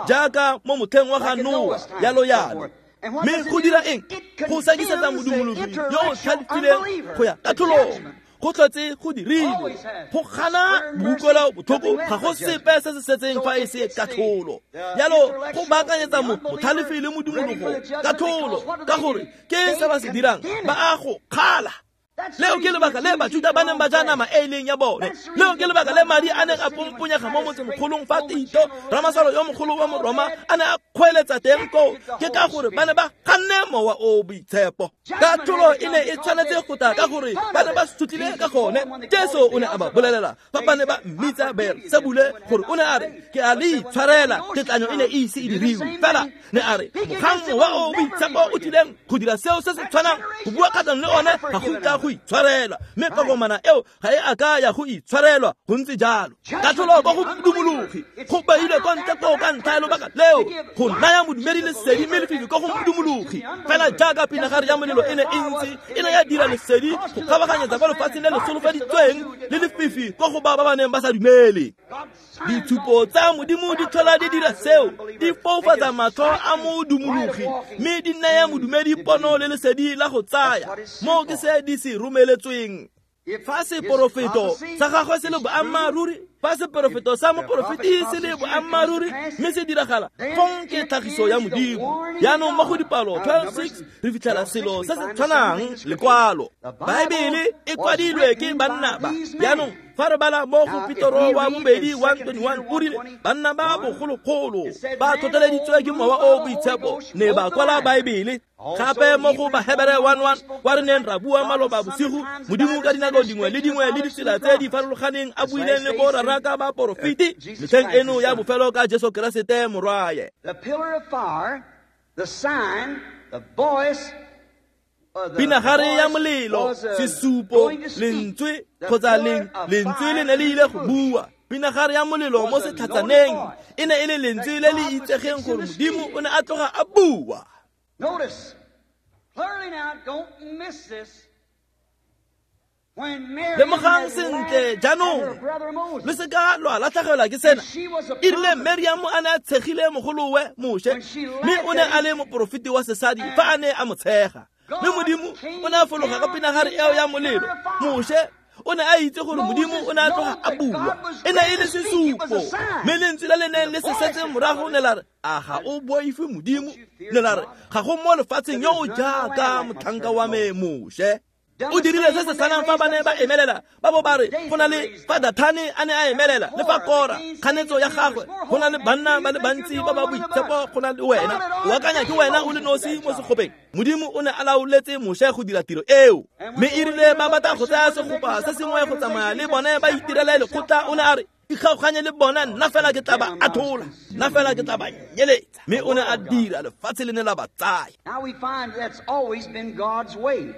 jaaka mo motlheng wa ga Noa, yalo yalo. Mme go dira eng? Go sekisetsa modumologi yo o tlhalefileng go ya katlholong. Go tlhotse go dirilwe. Go gana boutlwelo botlhoko ga go sepe se se setseng fa e se katlholo. Jalo go baakanyetsa motlhalefi le modumologo katlholo, ka gore ke se ba se dirang, ba a go kgala. Leo ke lebaka le Bajuda ba neng ba ja nama e e leng ya bone. Leo ke lebaka le madi a neng a pomponyega mo motsemogolong fa Tito ramasolo yo mogolo wa Moroma a ne a kgweeletsa teng koo, ke ka gore ba ne ba ganne mowa o boitshepo. Katlholo e ne e tshwanetse go tla ka gore ba ne ba sutlile ka gone. Jesu o ne a ba bolelela fa ba ne ba mmitsa Beelsebule gore o ne a re ke a le itshwarela, tetlanyo e ne e ise e diriwe. Fela ne a re mogang mowa o boitshepo o tlileng go dira seo se se tshwanang, go bua kgatlhanong le one ga go tla go itshwarelwa, mme kokomana eo ga e a ka ya go itshwarelwa. Go ntse jalo. Katlholo ko go modumologi go beilwe kwa ntle koo ka ntlha ya lobaka leo go naya modumedi lesedi, mme lefifi ko go modumologi. Fela jaaka pinagare ya molelo e ne e ntse e ne ya dira lesedi go kgabaganyetsa kwa lefatsheng le le solofeditsweng le lefifi ko go ba ba ba neng ba sa dumele. Ditshupo tsa Modimo di tlhola di dira seo, di foufatsa matlho a modumologi mme di naya modumedi pono le lesedi la go tsaya. Moo ke se di se romeletsweng. Fa seporofeto sa gagwe se le boammaaruri, fa seporofeto sa moporofeti se le boammaaruri mme se diragala, fong ke tlhagiso ya Modimo. Jaanong mo go dipalo twelve six re fitlhela selo se se tshwanang lekwalo. Baebele e kwadilwe ke banna ba. Jaanong fa re bala mo go Petoro wa bobedi one twenty-one o rile banna ba bogologolo ba tlhotlheleditswe ke mowa o boitshepo ne ba kwala Baebele. Gape mo go Bahebere one one kwa re neng ra bua maloba bosigo, Modimo ka dinako dingwe le dingwe le ditsela tse di farologaneng a buileng le borara ka baporofeti metlheng eno ya bofelo ka Jesu Keresete morwaye. The pillar of fire, the sign, the voice, Pinagare ya molelo, sesupo, lentswe kgotsa lentswe le ne le ile go bua. Pinagare ya molelo mo setlhatsaneng e ne e le lentswe le le itsegeng gore Modimo o ne a tloga a bua. Notice, clearly now, don't miss this. Lemogang sentle jaanong, le se ka lwa latlhegelwa ke sena. E rile Meriamo a ne a tshegile mogolowe Moshe, mme o ne a le moporofeti wa sesadi fa a ne a mo tshega. Mme Modimo o ne a fologa ka pinagare eo ya molelo. Moshe o ne a itse gore Modimo o ne a tloga a bua, e ne e le sesupo. Mme lentswe le le neng le se setse morago ne la re, a ga o boife Modimo? Ne la re, ga go mo lefatsheng yo o jaaka motlhanka wa me Moshe. O dirile se se tshwanang fa ba ne ba emelela, ba bo ba re go na le fa Dathane a ne a emelela le fa Kora kganetso ya gagwe, go na le banna ba le bantsi ba ba boitshepo go na le wena, o akanya ke wena o le nosi mo segopeng. Modimo o ne a laoletse Moshe go dira tiro eo, mme e rile ba batla go tsaya segopa se sengwe go tsamaya le bone ba itirele lekgotla, o ne a re ikgaoganye le bona, nna fela ke tla ba athola, nna fela ke tla ba nyeletsa. Mme o ne a dira, lefatshe le ne la ba tsaya. Now we find that's always been God's way.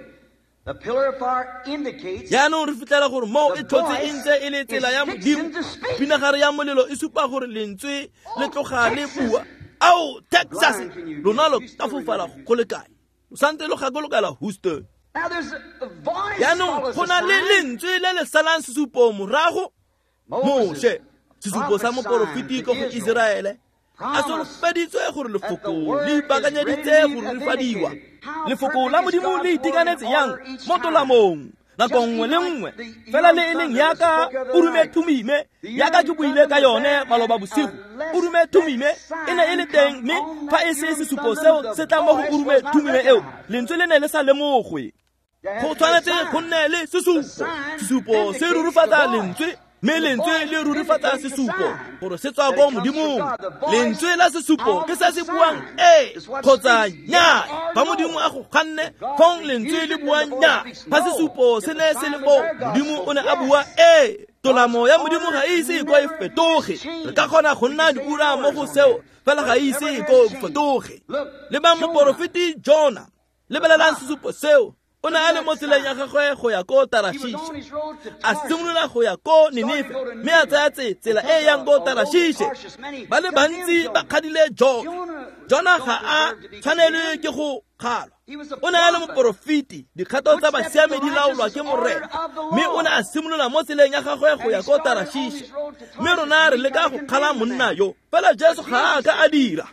The pillar of fire indicates Jaanong re fitlhela gore moo e tlhotse e ntse e le tsela ya Modimo. Pinagare ya molelo e supa gore lentswe le tloga le bua. Ao, Texas, lona lo ka fofala go le kae? Lo santse lo gakologela Houston. Jaanong go na le lentswe le le salang sesupo morago. Moshe, sesupo sa moporofeti ko go Iseraele, a solofeditswe gore lefoko le ipaakanyeditse go rurifadiwa. Lefoko la Modimo le itekanetse yang mo tolamong nako nngwe le nngwe, fela le e leng yaka Urume Thumime, yaka ke buile ka yone maloba bosigo. Urume Thumime e ne e le teng, mme fa e se sesupo seo se tla mo go Urume Thumime eo, lentswe le ne le sa lemogwe. Go tshwanetse go nne le sesupo. Sesupo se rurifatsa lentswe, mme lentswe le rurifatsa sesupo gore se tswa ko Modimong. Lentswe la sesupo ke se se buang ee kgotsa nnyaa. Fa Modimo a go ganne, fong lentswe le bua nnyaa. Fa sesupo se ne se le mo, Modimo o ne a bua ee. Tolamo ya Modimo ga e ise e ko e fetoge. Re ka kgona go nna diura mo go seo, fela ga e ise e ko e fetoge. Lebang moporofeti Jona, lebelelang sesupo seo. O ne a le mo tseleng ya gagwe go ya ko Tarashish, a simolola go ya ko Ninife, mme a tsaya tsela e yang ko Tarashish. Ba le bantsi ba kgadile Jona. Jona ga a tshwanelwe ke go kgalwa. O ne a le moporofeti, dikgato tsa basiami di laolwa ke Morena, mme o ne a simolola mo tseleng ya gagwe go ya ko Tarashish. Mme rona re leka go kgala monna yo, fela Jesu ga a ka a dira.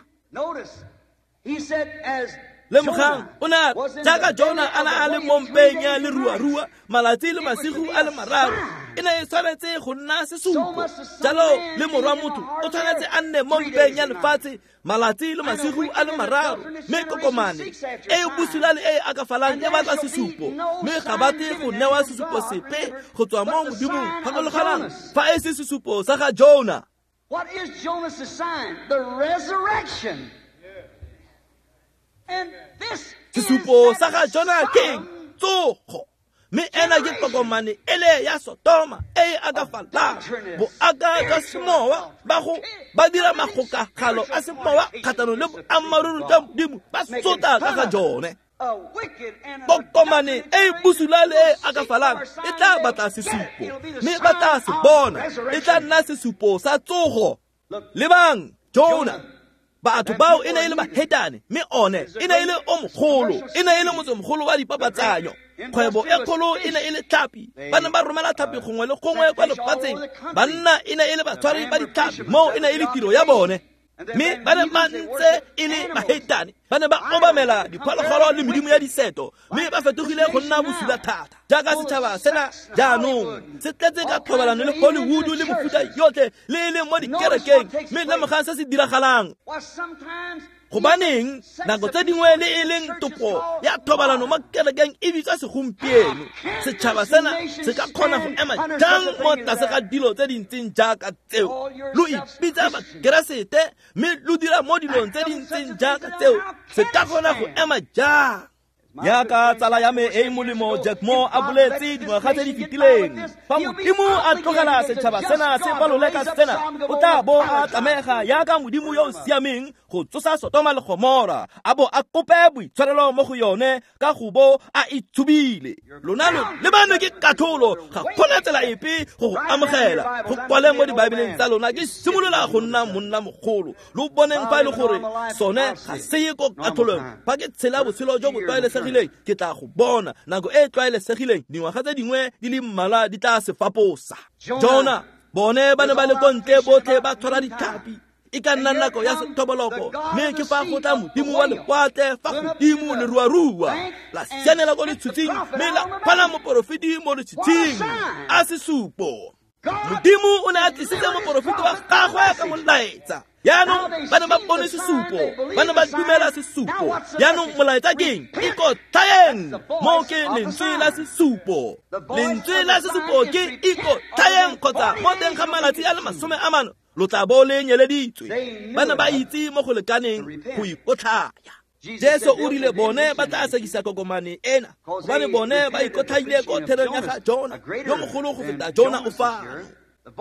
Lemogang, o ne a jaaka Jona a ne a le mo mpeng ya leruarua malatsi le masigo a le mararo, E ne e tshwanetse go nna sesupo. Jalo le morwa motho o tshwanetse a nne mo mpeng ya lefatshe malatsi le masigo a le mararo. Mme kokomane e e bosula le e e akafalang e batla sesupo, mme ga batle go newa sesupo sepe go tswa mo Modimong. Gakologelang fa e se sesupo sa ga Jona. What is Jonah's sign? The resurrection. And this sesupo sa ga Jona ke tsogo. Mme ena ke tokomane ele ya Sotoma e e akafalang. Boaka jwa semowa ba go ba dira magokagalo a semowa kgatlhanong le boammaaruri jwa Modimo, ba sotla ka ga jone. Tokomane e e bosula le e e akafalang e tla batla sesupo, mme ba tla se bona. E tla nna sesupo sa tsogo. Lebang Jona, batho bao e ne e le bahetane, mme one e ne e le o mogolo, e ne e le motsemogolo wa dipapatsanyo. Kgwebo e kgolo e ne e le tlhapi, ba ne ba romela tlhapi gongwe le gongwe kwa lefatsheng. Banna e ne e le batshwari ba ditlhapi, moo e ne e le tiro ya bone. Mme ba ne ba ntse e le bahetane, ba ne ba obamela diphologolo le medimo ya diseto, mme ba fetogile go nna bosula thata. Jaaka setšhaba sena jaanong se tletse ka thobalano le Hollywood le mofuta yotlhe le e leng mo dikerekeng, mme lemogang se se diragalang. Gobaneng nako tse dingwe le e leng topo ya thobalano mo kerekeng e bitswa segompieno. Setšhaba sena se ka kgona go ema jang mo tlase ga dilo tse di ntseng jaaka tseo? Lo ipitsa Bakeresete mme lo dira mo dilong tse di ntseng jaaka tseo, se ka kgona go ema jang? Jaaka tsala ya me e e molemo Jack Moore a boletse dingwaga tse di fetileng, fa Modimo a tlogela setšhaba sena se palole ka sena, o tla bo a tlamega jaaka Modimo yo o siameng go tsosa Sotoma le Gomora, a bo a kope boitshwarelo mo go yone ka go bo a itshubile. Lona lo lebane ke katlholo, ga gona tsela epe go go amogela. Go kwale mo dibaebeleng tsa lona, ke simolola go nna monna mogolo. Lo boneng fa e le gore sone ga se ye ko katlholong. Fa ke tshela botshelo jo bo tlwaelesegileng, ke tla go bona. Nako e e tlwaelesegileng, dingwaga tse dingwe di le mmalwa di tla se faposa. Jona, bone ba ne ba le ko ntle botlhe ba tshwara ditlhapi. E ka nna nako ya sethoboloko, mme ke fa go tla modimo wa lewatle fa godimo leruarua la sianela ko letshutshing, mme la phala moporofeti mo letshutshing. A sesupo. Modimo o ne a tlisitse moporofeti wa gagwe ka molaetsa. Jaanong ba ne ba bone sesupo, ba ne ba dumela sesupo. Jaanong molaetsa ke eng? Ikotlhaeng. Moo ke lentswe la sesupo. Lentswe la sesupo ke ikotlhaeng, kgotsa mo teng ga malatsi a le masome a mane lo tla bo le nyeleditswe. Ba ne ba itse mo go lekaneng go ikotlhaya. Jesu o rile bone ba tla sekisa kokomane ena, gobane bone ba ikotlhaile ko therong ya ga Jona, yo mogolo go feta Jona o fano.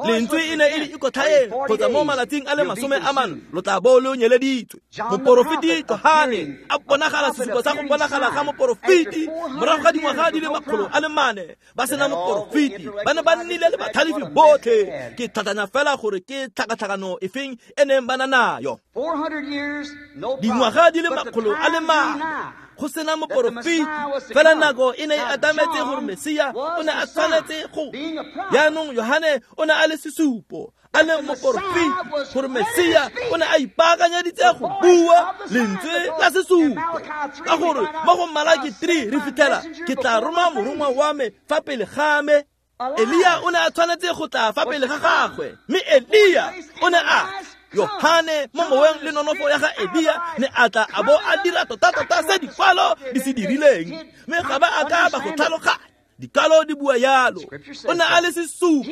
Lentswe e ne e le ikotlhaeng, kgotsa mo malatsing a le masome a mane lo tla bo lo nyeleditswe. Moporofeti Johane a bonagala sesupo sa go bonagala ga moporofeti morago ga dingwaga di le makgolo a le mane ba sena moporofeti. Ba ne ba nnile le batlhalefi botlhe. Ke tlhatlhanya fela gore ke tlhakatlhakano efeng e neng ba na nayo. Dingwaga di le makgolo a le mane go sena moporofeti, fela nako e ne e atametse gore Mesia o ne a tshwanetse go. Jaanong Johane o ne a le sesupo, a le moporofeti, gore Mesia o ne a ipaakanyeditse go bua lentswe la sesupo. Ka gore mo go Malaki three re fitlhela, ke tla roma morongwa wa me fa pele ga me. Elia o ne a tshwanetse go tla fa pele ga gagwe, mme Elia o ne a Yohane mo moweng le nonofo ya ga Elia ne a tla a bo a dira tota-tota se dikwalo di se dirileng, mme ga ba a ka ba go tlhaloganya. Dikalo di bua yalo. O ne a le sesupo,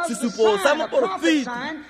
sesupo sa moporofeti,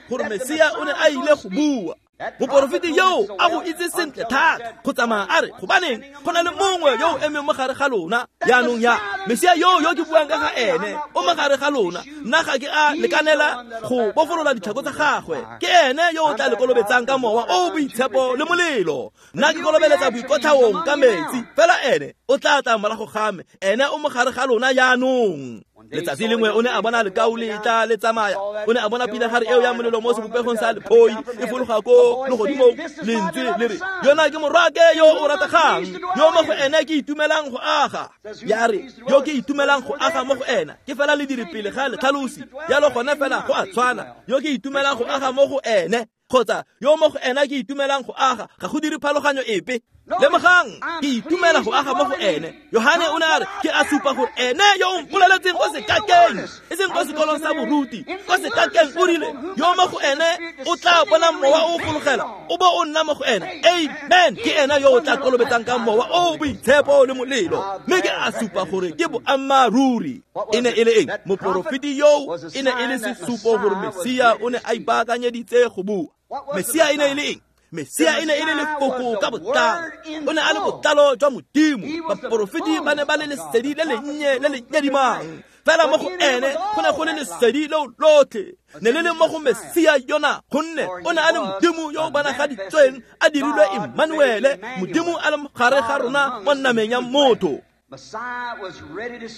gore Mesia o ne a ile go bua. Moporofeti yo a go itse sentle thata go tsamaya a re, gobaneng go na le mongwe yo o emeng mo gare ga lona. Jaanong ya Mesia yo yo ke buang ka ga ene o mo gare ga lona, nna ga ke a lekanela go bofolola ditlhako tsa gagwe. Ke ene yo o tla le kolobetsang ka mowa o o boitshepo le molelo. Nna ke kolobeletsa boikotlhaong ka metsi, fela ene o tla tla morago ga me, ene o mo gare ga lona jaanong. Letsatsi lengwe o ne a bona lekau le tla le tsamaya, o ne a bona pinagare eo ya molelo mo sebopegong sa lephoi e fologa ko legodimong. Lentswe le re, yona ke morwake yo o rategang, yo mo go ene ke itumelang go aga. Ya re, yo ke itumelang go aga mo go ena, ke fela lediri pele ga letlhalosi. Jalo gone fela go a tshwana, yo ke itumelang go aga mo go ene, kgotsa yo mo go ena ke itumelang go aga, ga go dire phaloganyo epe. Lemogang ke itumela go aga mo go ene. Yohane o ne a re ke a supa gore ene yo o mpoleletseng ko sekakeng, e seng ko sekolong sa boruti, ko sekakeng o rile yo mo go ene o tla bona mowa o fologela o bo o nna mo go ene. Amen. Ke ena yo o tla kolobetsang ka mowa o boitshepo le molelo. Mme ke a supa gore ke boammaaruri. E ne e le eng? Moporofeti yo e ne e le sesupo gore Mesia o ne a ipaakanyeditse go bua. Mesia e ne e le eng? Mesia e ne e le lefoko ka botlalo. O ne a le botlalo jwa Modimo. Baporofeti ba ne ba le lesedi le lennye le le nyadimang. Fela mo go ene go ne go le lesedi leo lotlhe. Ne le le mo go Mesia yona, gonne o ne a le Modimo yo o bonagaditsweng a dirilwe Emmanuele, Modimo a le mo gare ga rona mo nameng ya motho.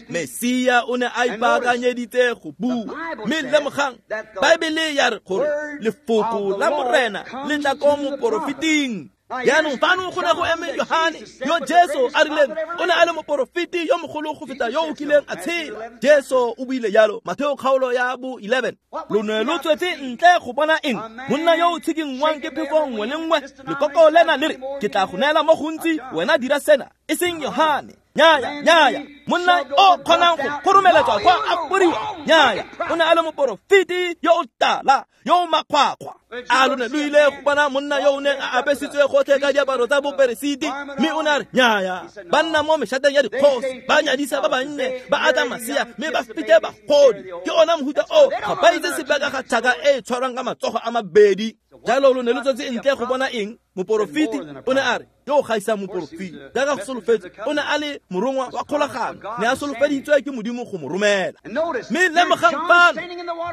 Mesia o ne a ipaakanyeditse go bua. Mme lemogang, Baebele ya re gore lefoko la Morena le tla ko moporofeting. Jaanong fano go ne go eme Yohane yo Jesu a rileng o ne a le moporofeti yo mogolo go feta yo o kileng a tshela. Jesu o buile jalo, Matheo kgaolo ya bo eleven. Lo ne lo tswetse ntle go bona eng? Monna yo o tshikinngwang ke phefo nngwe le nngwe. Lekoko lena le re ke tla go neela mo gontsi, wena dira sena. E seng Yohane. Nyaya, nyaya. Monna o kgonang go kgoromeletswa kwa a poriwa. Nyaya. O ne a le moporofeti yo o tala, yo o makgwakgwa. A lo ne lo ile go bona monna yo o neng a apesitswe gotlhe ka diaparo tsa boperesiti? Mme o ne a re nyaya. Ba nna mo meshateng ya dikgosi, ba nyadisa ba bannye, ba atla masea, mme ba fete bagodi. Ke ona mohuta o ga ba itse sepe ka ga tšhaka e e tshwarwang ka matsogo a mabedi. Jalo lo ne lo tswetse ntle go bona eng? Moporofeti o ne a re yo o gaisang moporofeti jaaka go solofetse, o ne a le morongwa wa kgolagano, ne a solofeditswe ke Modimo go mo romela. Mme lemogang fano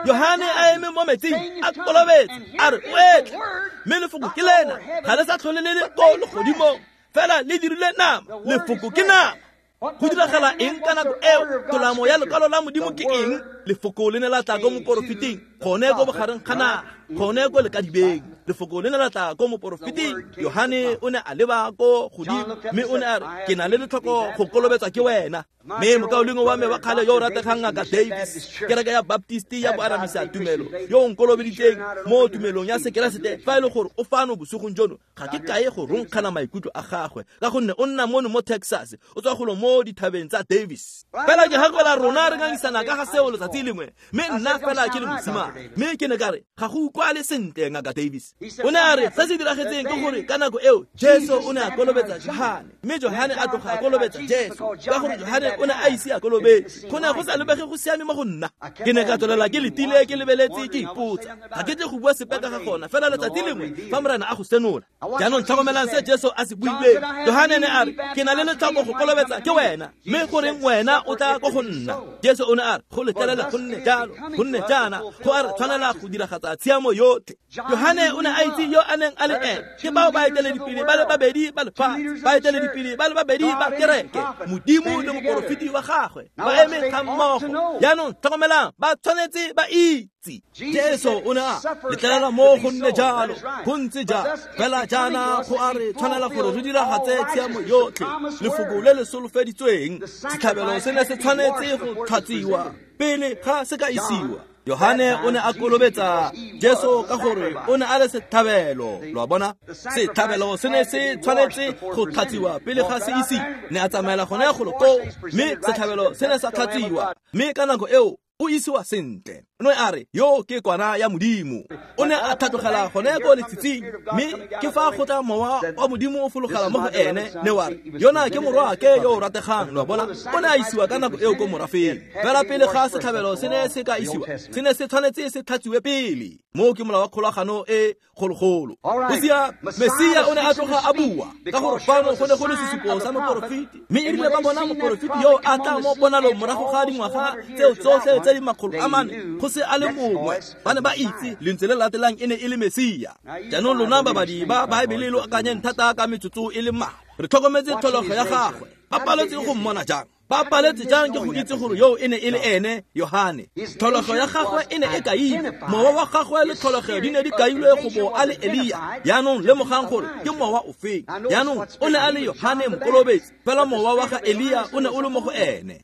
Yohane a eme mo metsing a kolobetse a re o etle, mme lefoko ke lena, ga le sa tlhole le le ko legodimong, fela le dirile nama. Lefoko ke nama. Go diragala eng ka nako eo? Tolamo ya lekwalo la Modimo ke eng? Lefoko le ne la tla ko moporofeting, gone ko bogareng ga naga, gone ko lekadibeng. Lefoko le ne la tla ko moporofeting. Yohane o ne a leba ko godimo mme o ne a re ke na le letlhoko go kolobetswa ke wena. Mme mokaulengwe wa me wa kgale yo o rategang Ngaka Davis, kereke ya Baptist ya boanamisa tumelo, yo o nkolobeditseng mo tumelong ya Sekeresete, fa e le gore o fano bosigong jono, ga ke kae go ronkgana maikutlo a gagwe, ka gonne o nna mono mo Texas, o tswa golo mo dithabeng tsa Davis. Fela ke gakola rona re ngangisana ka ga seo letsatsi lengwe, mme nna fela ke le mosimane. Mme ke ne ka re ga go utlwale sentle Ngaka Davis. O ne a re se se diragetseng ke gore ka nako eo Jesu o ne a kolobetsa Johane, mme Johane a tloga a kolobetsa Jesu, ka gore Johane o ne a ise a kolobetse. Go ne go sa lebege go siame mo go nna. Ke ne ka tswelela ke letile ke lebeletse ke ipotsa, ga ke tle go bua sepe ka ga gona, fela letsatsi lengwe fa Morena a go senola. Jaanong tlhokomelang se Jesu a se buileng. Johane ne a re ke na le letlhoko go kolobetsa ke wena, mme goreng wena o tla ko go nna? Jesu o ne a re go letlelela go nne jalo, go nne jaana, go a re tshwanela go diragatsa tshiamo yotlhe. Johane o ne a itse yo a neng a le ene. Ke bao baeteledipele ba le babedi ba lefatshe, baeteledipele ba le babedi ba kereke, Modimo le moporofeti wa gagwe ba eme ga mmogo. Jaanong tlhokomelang, ba tshwanetse ba itse. Jesu o ne a letlelela mo go nne jalo, go ntse jalo. Fela jaana go a re tshwanela gore re diragatse tshiamo yotlhe. Lefoko le le solofeditsweng, setlhabelo se ne se tshwanetse go tlhatswiwa pele ga se ka isiwa. Yohane o ne a kolobetsa Jesu ka gore o ne a le setlhabelo. Lo a bona? Setlhabelo se ne se tshwanetse go tlhatswiwa pele ga se isiwa. Ne a tsamaela gone golo koo, mme setlhabelo se ne sa tlhatswiwa. Mme ka nako eo o isiwa sentle. O ne a re yo ke kwana ya Modimo. O ne a tlhatlogela gone ko letshitshing, mme ke fa go tla mowa wa Modimo o fologela mo go ene, ne wa re yona ke morwaake yo o rategang. Lo a bona? O ne a isiwa ka nako eo ko morafeng. Fela pele ga setlhabelo se ne se ka isiwa, se ne se tshwanetse se tlhatswiwe pele. Moo ke molao wa kgolagano e kgologolo. Mesia Mesia o ne a tloga a bua ka gore fano go ne go le sesupo sa moporofeti, mme e rile ba bona moporofeti yo a tla mo ponalong morago ga dingwaga tseo tsotlhe tse di makgolo a mane go se a le mongwe, ba ne ba itse lentswe le latelang e ne e le Mesia. Jaanong lona babadi ba Baebele lo akanyeng thata ka metsotso e le mmalwa. Re tlhokometse tlholego ya gagwe. Ba paletse go mmona jang? Ba paletse jang ke go itse gore yo e ne e le ene Yohane? Tlholego ya gagwe e ne e kailwe, mowa wa gagwe le tlholego di ne di kailwe go bo a le Elia. Jaanong lemogang gore ke mowa ofeng. Jaanong o ne a le Yohane Mokolobetsi, fela mowa wa ga Elia o ne o le mo go ene.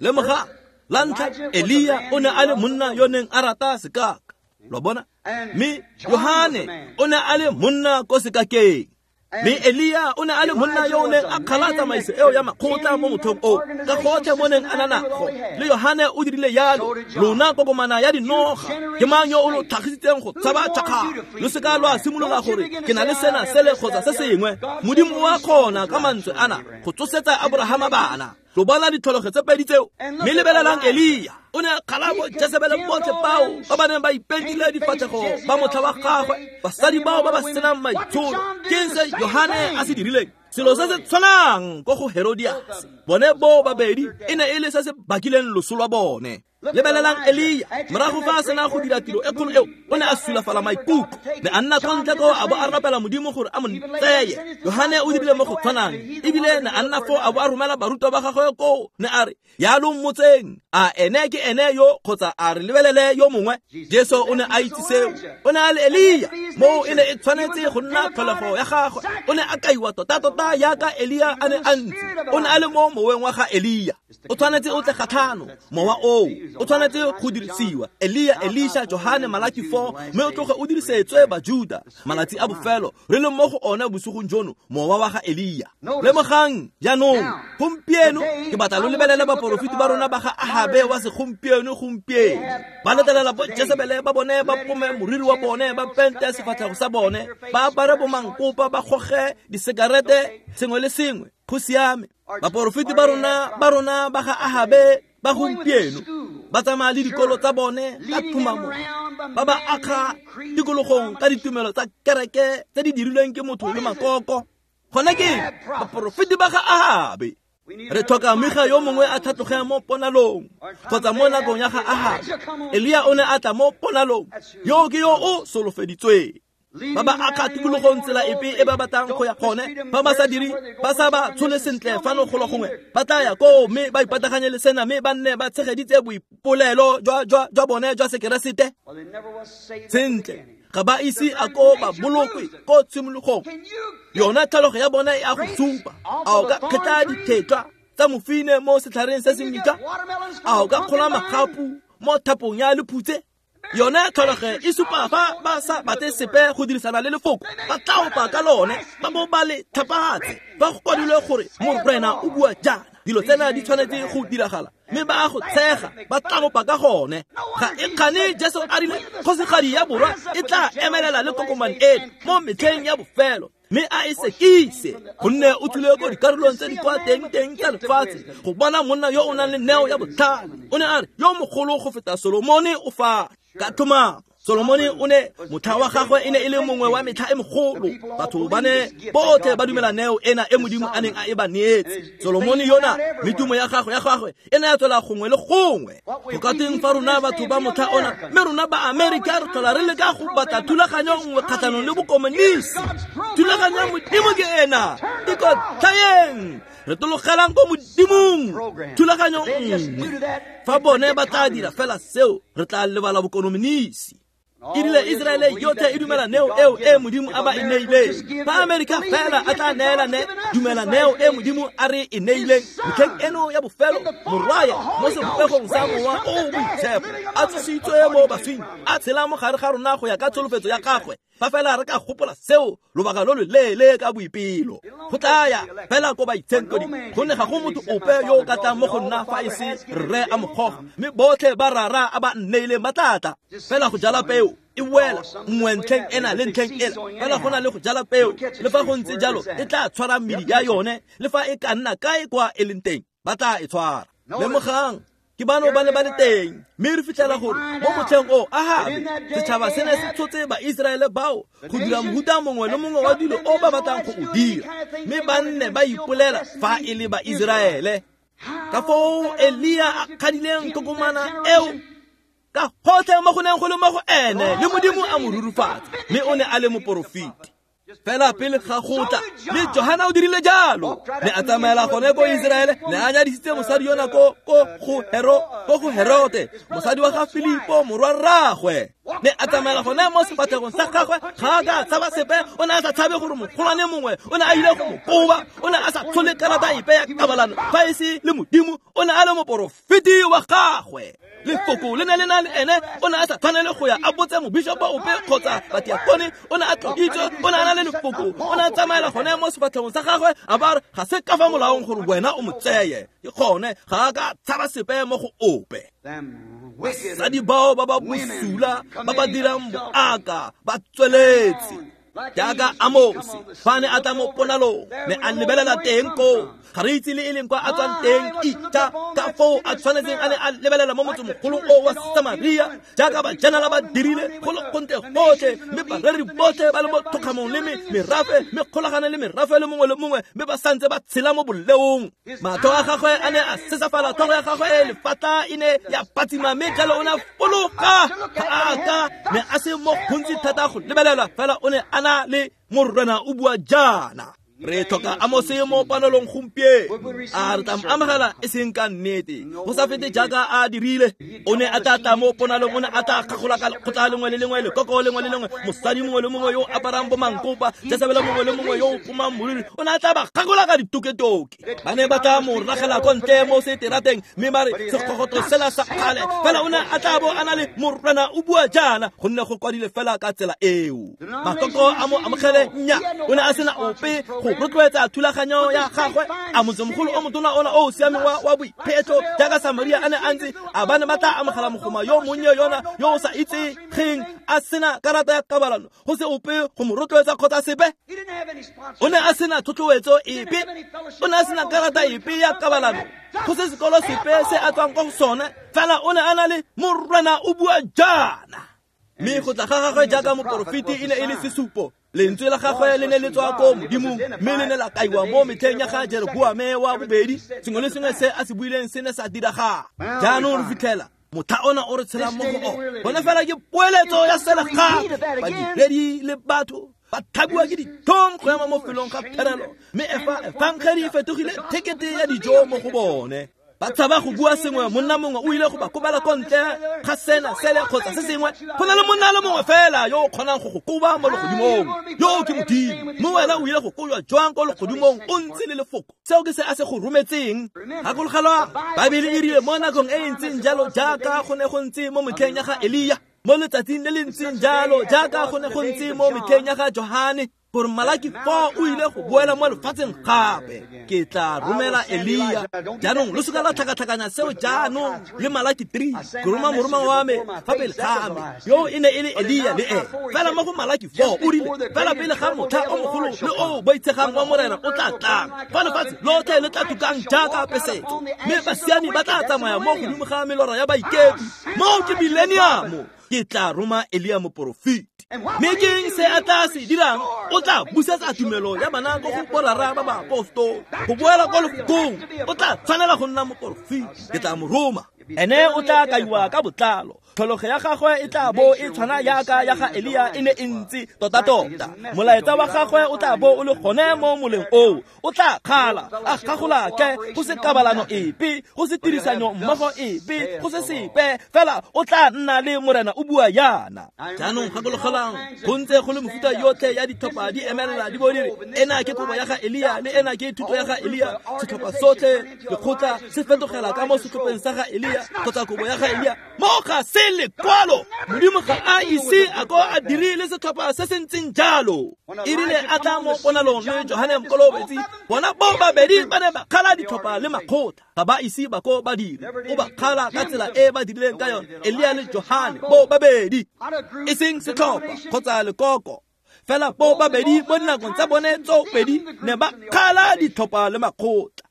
Lemoga la ntlha, Elia o ne a le monna yo neng a rata sekaka. Lo bona? Mme Yohane o ne a le monna ko sekakeng. Mme Elia o ne a le monna yo o neng a kgala tsamaiso eo ya makgotla mo motlhong oo, ka gotlhe mo neng a na nago. Le Yohane o dirile jalo, lona kokomana ya dinoga, ke mang yo o lo tlhagisitseng go tshaba tšhakgalo? Lo seka lwa simolola gore ke na le sena sele kgotsa se sengwe. Modimo o a kgona ka mantswe ana go tsosetsa Aborahama bana. Lo bona ditlhologo tse pedi tseo. Mme lebelelang Elia, o ne a kgala bo Jezebele botlhe bao ba ba neng ba ipentile difatlhego ba motlha wa gagwe, basadi bao ba ba senang maitsholo. Ke eng se Yohane a se dirileng? Selo se se tshwanang ko go Herodias. Bone bo babedi e ne e le se se bakileng loso lwa bone. Lebelelang Elia, morago fa a sena go dira tiro e kgolo eo, o ne a sulafala maikutlo, ne a nna kwa ntle koo a bo a rapela Modimo gore a mo tseye. Yohane o dirile mo go tshwanang, ebile ne a nna foo a bo a romela barutwa ba gagwe koo, ne a re, ya lo mmotseng, a ene ke ene yo kgotsa a re lebelele yo mongwe? Jesu o ne a itse seo, o ne a le Elia, moo e ne e tshwanetse go nna tlholego ya gagwe. O ne a kaiwa tota-tota jaaka Elia a ne a ntse, o ne a le mo moweng wa ga Elia. O tshwanetse o tle kgatlhano, mowa oo o tshwanetse go dirisiwa. Elia, Elisha, Johane, Malaki four, mme o tloge o dirisetswe Bajuda. Malatsi a bofelo re leng mo go one bosigong jono, mowa wa ga Elia. Lemogang jaanong, gompieno ke batla lo lebelele baporofeti ba rona ba ga Ahabe wa segompieno gompieno. Ba letlelela bo Jezebele ba bone ba pome moriri wa bone, ba pente sefatlhego sa bone, ba apare bomankopa, ba goge disekarete, sengwe le sengwe. Go siame. Baporofeti ba rona ba rona ba ga Ahabe ba gompieno ba tsamaya le dikolo tsa bone ka tumamo, ba ba akga tikologong ka ditumelo tsa kereke tse di dirilweng ke motho le makoko. Gone ke baporofeti ba ga Ahabe. Re tlhoka Mika yo mongwe a tlhatloge mo ponalong kgotsa mo nakong ya ga Ahabe. Elia o ne a tla mo ponalong, yo ke yo o solofeditsweng. Ba ba akga tikologong tsela epe e ba batlang go ya gone, ba ba sa dire, ba sa ba tshole sentle fano golo gongwe, ba tla ya koo mme ba ipataganye le sena, mme ba nne ba tshegeditse boipolelo jwa jwa jwa bone jwa sekeresete. Sentle, ga ba ise a ko ba bolokwe ko tshimologong. Yona tlhalogo ya bone e a go supa. A o ka kgetla dithetlwa tsa mofine mo setlhareng se se metšwa? A o ka kgola magapu mo thapong ya lephutse? Yone tlholego e supa fa ba sa batle sepe go dirisana le lefoko, ba tla opa ka lone, ba bo ba le tlhapatse. Fa go kwadilwe gore Morena o bua jaana, dilo tsena di tshwanetse go diragala, mme ba go tshega, ba tla opa ka gone. Ga e kgane Jesu a rile kgosigadi ya borwa e tla emelela le kokomane eno mo metlheng ya bofelo, mme a e sekise, gonne o tswile ko dikarolong tse di kwa teng-teng tsa lefatshe go bona monna yo o nang le neo ya botlhale. O ne a re yo mogolo go feta Solomone o fa. Ka tlhomamo, Solomone o ne motlha wa gagwe e ne e le mongwe wa metlha e mogolo. Batho ba ne botlhe ba dumela neo ena e Modimo a neng a e ba neetse. Solomone yona metumo ya gagwe ya gagwe e ne ya tswela gongwe le gongwe. Go ka teng fa rona batho ba motlha ona, mme rona ba Amerika re tlhola re leka go batla thulaganyo nngwe kgatlhanong le bokomonisi. Thulaganyo ya Modimo ke ena, ikotlhayeng, re tologelang ko Modimong thulaganyo nngwe. Fa bone ba tla dira fela seo, re tla lebala bokomonisi. Erile Israele yotlhe e dumela neo eo e Modimo a ba e neileng. Fa Amerika fela a tla neela ne dumela neo e Modimo a re e neileng metlheng eno ya bofelo, morwaye mo sebopegong sa mowa o o boitshepo a tsositswe mo baswing, a tshela mo gare ga rona go ya ka tsholofetso ya gagwe. Fa fela re ka gopola seo lobaka lo lo leele ka boipelo, go tla ya fela ko baitshenkeding, gonne ga go motho ope yo o ka tlang mo go nna fa e se rre a mo goga, mme botlhe ba rara a ba nneileng ba tla tla. Fela go jala peo e wela nngwe ntlheng ena le ntlheng ela, fela go na le go jala peo, le fa go ntse jalo e tla tshwara medi ya yone, le fa e ka nna kae kwa e leng teng ba tla e tshwara. Lemogang, ke bano ba ne ba le teng, mme re fitlhela gore mo motlheng o Ahabe setšhaba se ne se tshotse Baiseraele bao go dira mohuta mongwe le mongwe wa dilo o ba batlang go o dira, mme ba nne ba ipolela fa e le Baiseraele. Ka foo Elia a kgadileng kokomana eo ka gotlhe mo go neng go le mo go ene, le Modimo a mo rurufatsa, mme o ne a le moporofeti. Fela pele ga go tla, le Johana o dirile jalo, ne a tsamaela gone ko Israele, ne a nyadisitse mosadi yona ko ko go Hero ko go Herote, mosadi wa ga Filipo morwa rraagwe. Ne a tsamaela gone mo sefatlhegong sa gagwe, ga a ka a tshaba sepe. O ne a sa tshabe gore mogolwane mongwe o ne a ile go mo koba. O ne a sa tlhole karata epe ya kabalano fa e se le Modimo. O ne a le moporofeti wa gagwe. Lefoko le ne le na le ene. O ne a sa tshwanele go ya a botse mobishopo ope kgotsa batiakone. O ne a tloditswe, o ne a na le lefoko. O ne a tsamaela gone mo sefatlhegong sa gagwe, a ba re ga se ka fa molaong gore wena o mo tseye. Ke gone ga a ka tshaba sepe mo go ope. Basadi bao ba ba bosula ba ba dirang boaka ba tsweletse jaaka Amosi fa ne a tla mo ponalong, ne a lebelela teng koo. Ga re itse le e leng kwa a tswang teng. Ita ka foo a tshwanetseng a ne a lebelela mo motsemogolong o wa Samaria jaaka bajanala ba dirile go le gontle gotlhe, mme bareri botlhe ba le mo thokgamong le merafe, mme kgolagane le merafe le mongwe le mongwe, mme ba santse ba tshela mo boleong. Matlho a gagwe a ne a sesafala, tlhogo ya gagwe e lefatla e ne ya patsima, mme jalo o ne a fologa. Ga a ka ne a se mo gontsi thata go lebelela, fela o ne a na le Morena o bua jaana. Re tlhoka Amose mo panelong gompieno. A re tla mo amogela e seng ka nnete, go sa fete jaaka a dirile. O ne a tla tla mo ponalong, o ne a tla kgagola ka lekgotla lengwe le lengwe, lekoko lengwe le lengwe, mosadi mongwe le mongwe yo o aparang bomankopa, Jesebele mongwe le mongwe yo o pomang moriri. O ne a tla ba kgagola ka ditoketoke. Ba ne ba tla mo ragela ko ntle mo seterateng, mme ba re sekgogoto sela sa kgale. Fela o ne a tla bo a na le Morena o bua jaana, gonne go kwadile fela ka tsela eo. Makoko a mo amogele nya, o ne a sena ope go rotloetsa thulaganyo ya gagwe. A motsemogolo o motona ona o o siameng wa wa boiphetho jaaka Samaria a ne a ntse, a ba ne ba tla amogela mogoma yo monnye yona yo o sa itsegeng, a sena karata ya kabalano, go se ope go mo rotloetsa kgotsa sepe. O ne a sena thotloetso epe, o ne a sena karata epe ya kabalano, go se sekolo sepe se a tswang ko go sone. Fela o ne a na le Morena o bua jaana. Mme go tla ga gagwe jaaka moporofeti e ne e le sesupo. Lentswe la gagwe le ne le tswa ko Modimong, mme le ne la kaiwa mo metlheng ya ga Jeroboame wa bobedi. Sengwe le sengwe se a se buileng se ne sa diragala. Jaanong re fitlhela motlha ona o re tshelang mo go ona. Bona fela ke poeletso ya selegape. Badiredi le batho ba thabiwa ke ditlhong go ema mo felong ga pherelo, mme efa efangedi e fetogile thekete ya dijo mo go bone. Ba tshaba go bua sengwe, monna mongwe o ile go ba kobela ko ntle ga sena sele kgotsa se sengwe. Go na le monna le mongwe fela yo o kgonang go go koba mo legodimong, yo ke Modimo. Mme wena o ile go kojwa jwang ko legodimong o ntse le lefoko? Seo ke se a se go rometseng. Gakologelwa, Baebele e rile mo nakong e e ntseng jalo jaaka go ne go ntse mo metlheng ya ga Elia, mo letsatsing le le ntseng jalo jaaka go ne go ntse mo metlheng ya ga Johane, gore Malaki four o ile go boela mo lefatsheng gape. Ke tla romela Elia. Jaanong lo seka la tlhakatlhakanya seo jaanong le Malaki three. Ke roma moroma wa me fa pele ga me, yo e ne e le Elia le ene. Fela mo go Malaki four o rile fela pele ga motlha o mogolo le o boitshegang wa Morena o tla tlang, fa lefatshe lotlhe le tla tukang jaaka pesetso, mme basiami ba tla tsamaya mo godimo ga melora ya baikepi. Moo ke millennium. Ke tla roma Elia moporofeti. Mme ke eng se a tla se dirang? O tla busetsa tumelo ya bana ko go borara ba baapostolo, go boela ko lefokong. O tla tshwanela go nna moporofeti. Ke tla mo roma. Ene o tla kaiwa ka botlalo. Tlhologo ya gagwe e tla bo e tshwana jaaka ya ga Elia e ne e ntse tota-tota. Molaetsa wa gagwe o tla bo o le gone mo moleng oo. O tla kgala, a kgagolake, go se kabalano epe, go se tirisanyo mmogo epe, go se sepe. Fela o tla nna le Morena o bua jaana. Jaanong gakologelang, go ntse go le mefuta yotlhe ya ditlhopha di emelela di bo di re ena ke kobo ya ga Elia le ena ke thuto ya ga Elia. Setlhopha sotlhe lekgotla se fetogela ka mo setlhopheng sa ga Elia kgotsa kobo ya ga Elia. Mo ga se lekwalo. Modimo ga a ise a ko a dirile setlhopha se se ntseng jalo. E rile a tla mo ponalong le Johane Mokolobetsi, bona bo babedi ba ne ba kgala ditlhopha le makgotla. Ga ba ise ba ko ba dire. O ba kgala ka tsela e ba dirileng ka yone, Elia le Johane bo babedi, e seng setlhopha kgotsa lekoko. Fela bo babedi mo dinakong tsa bone tso pedi ne ba kgala ditlhopha le makgotla.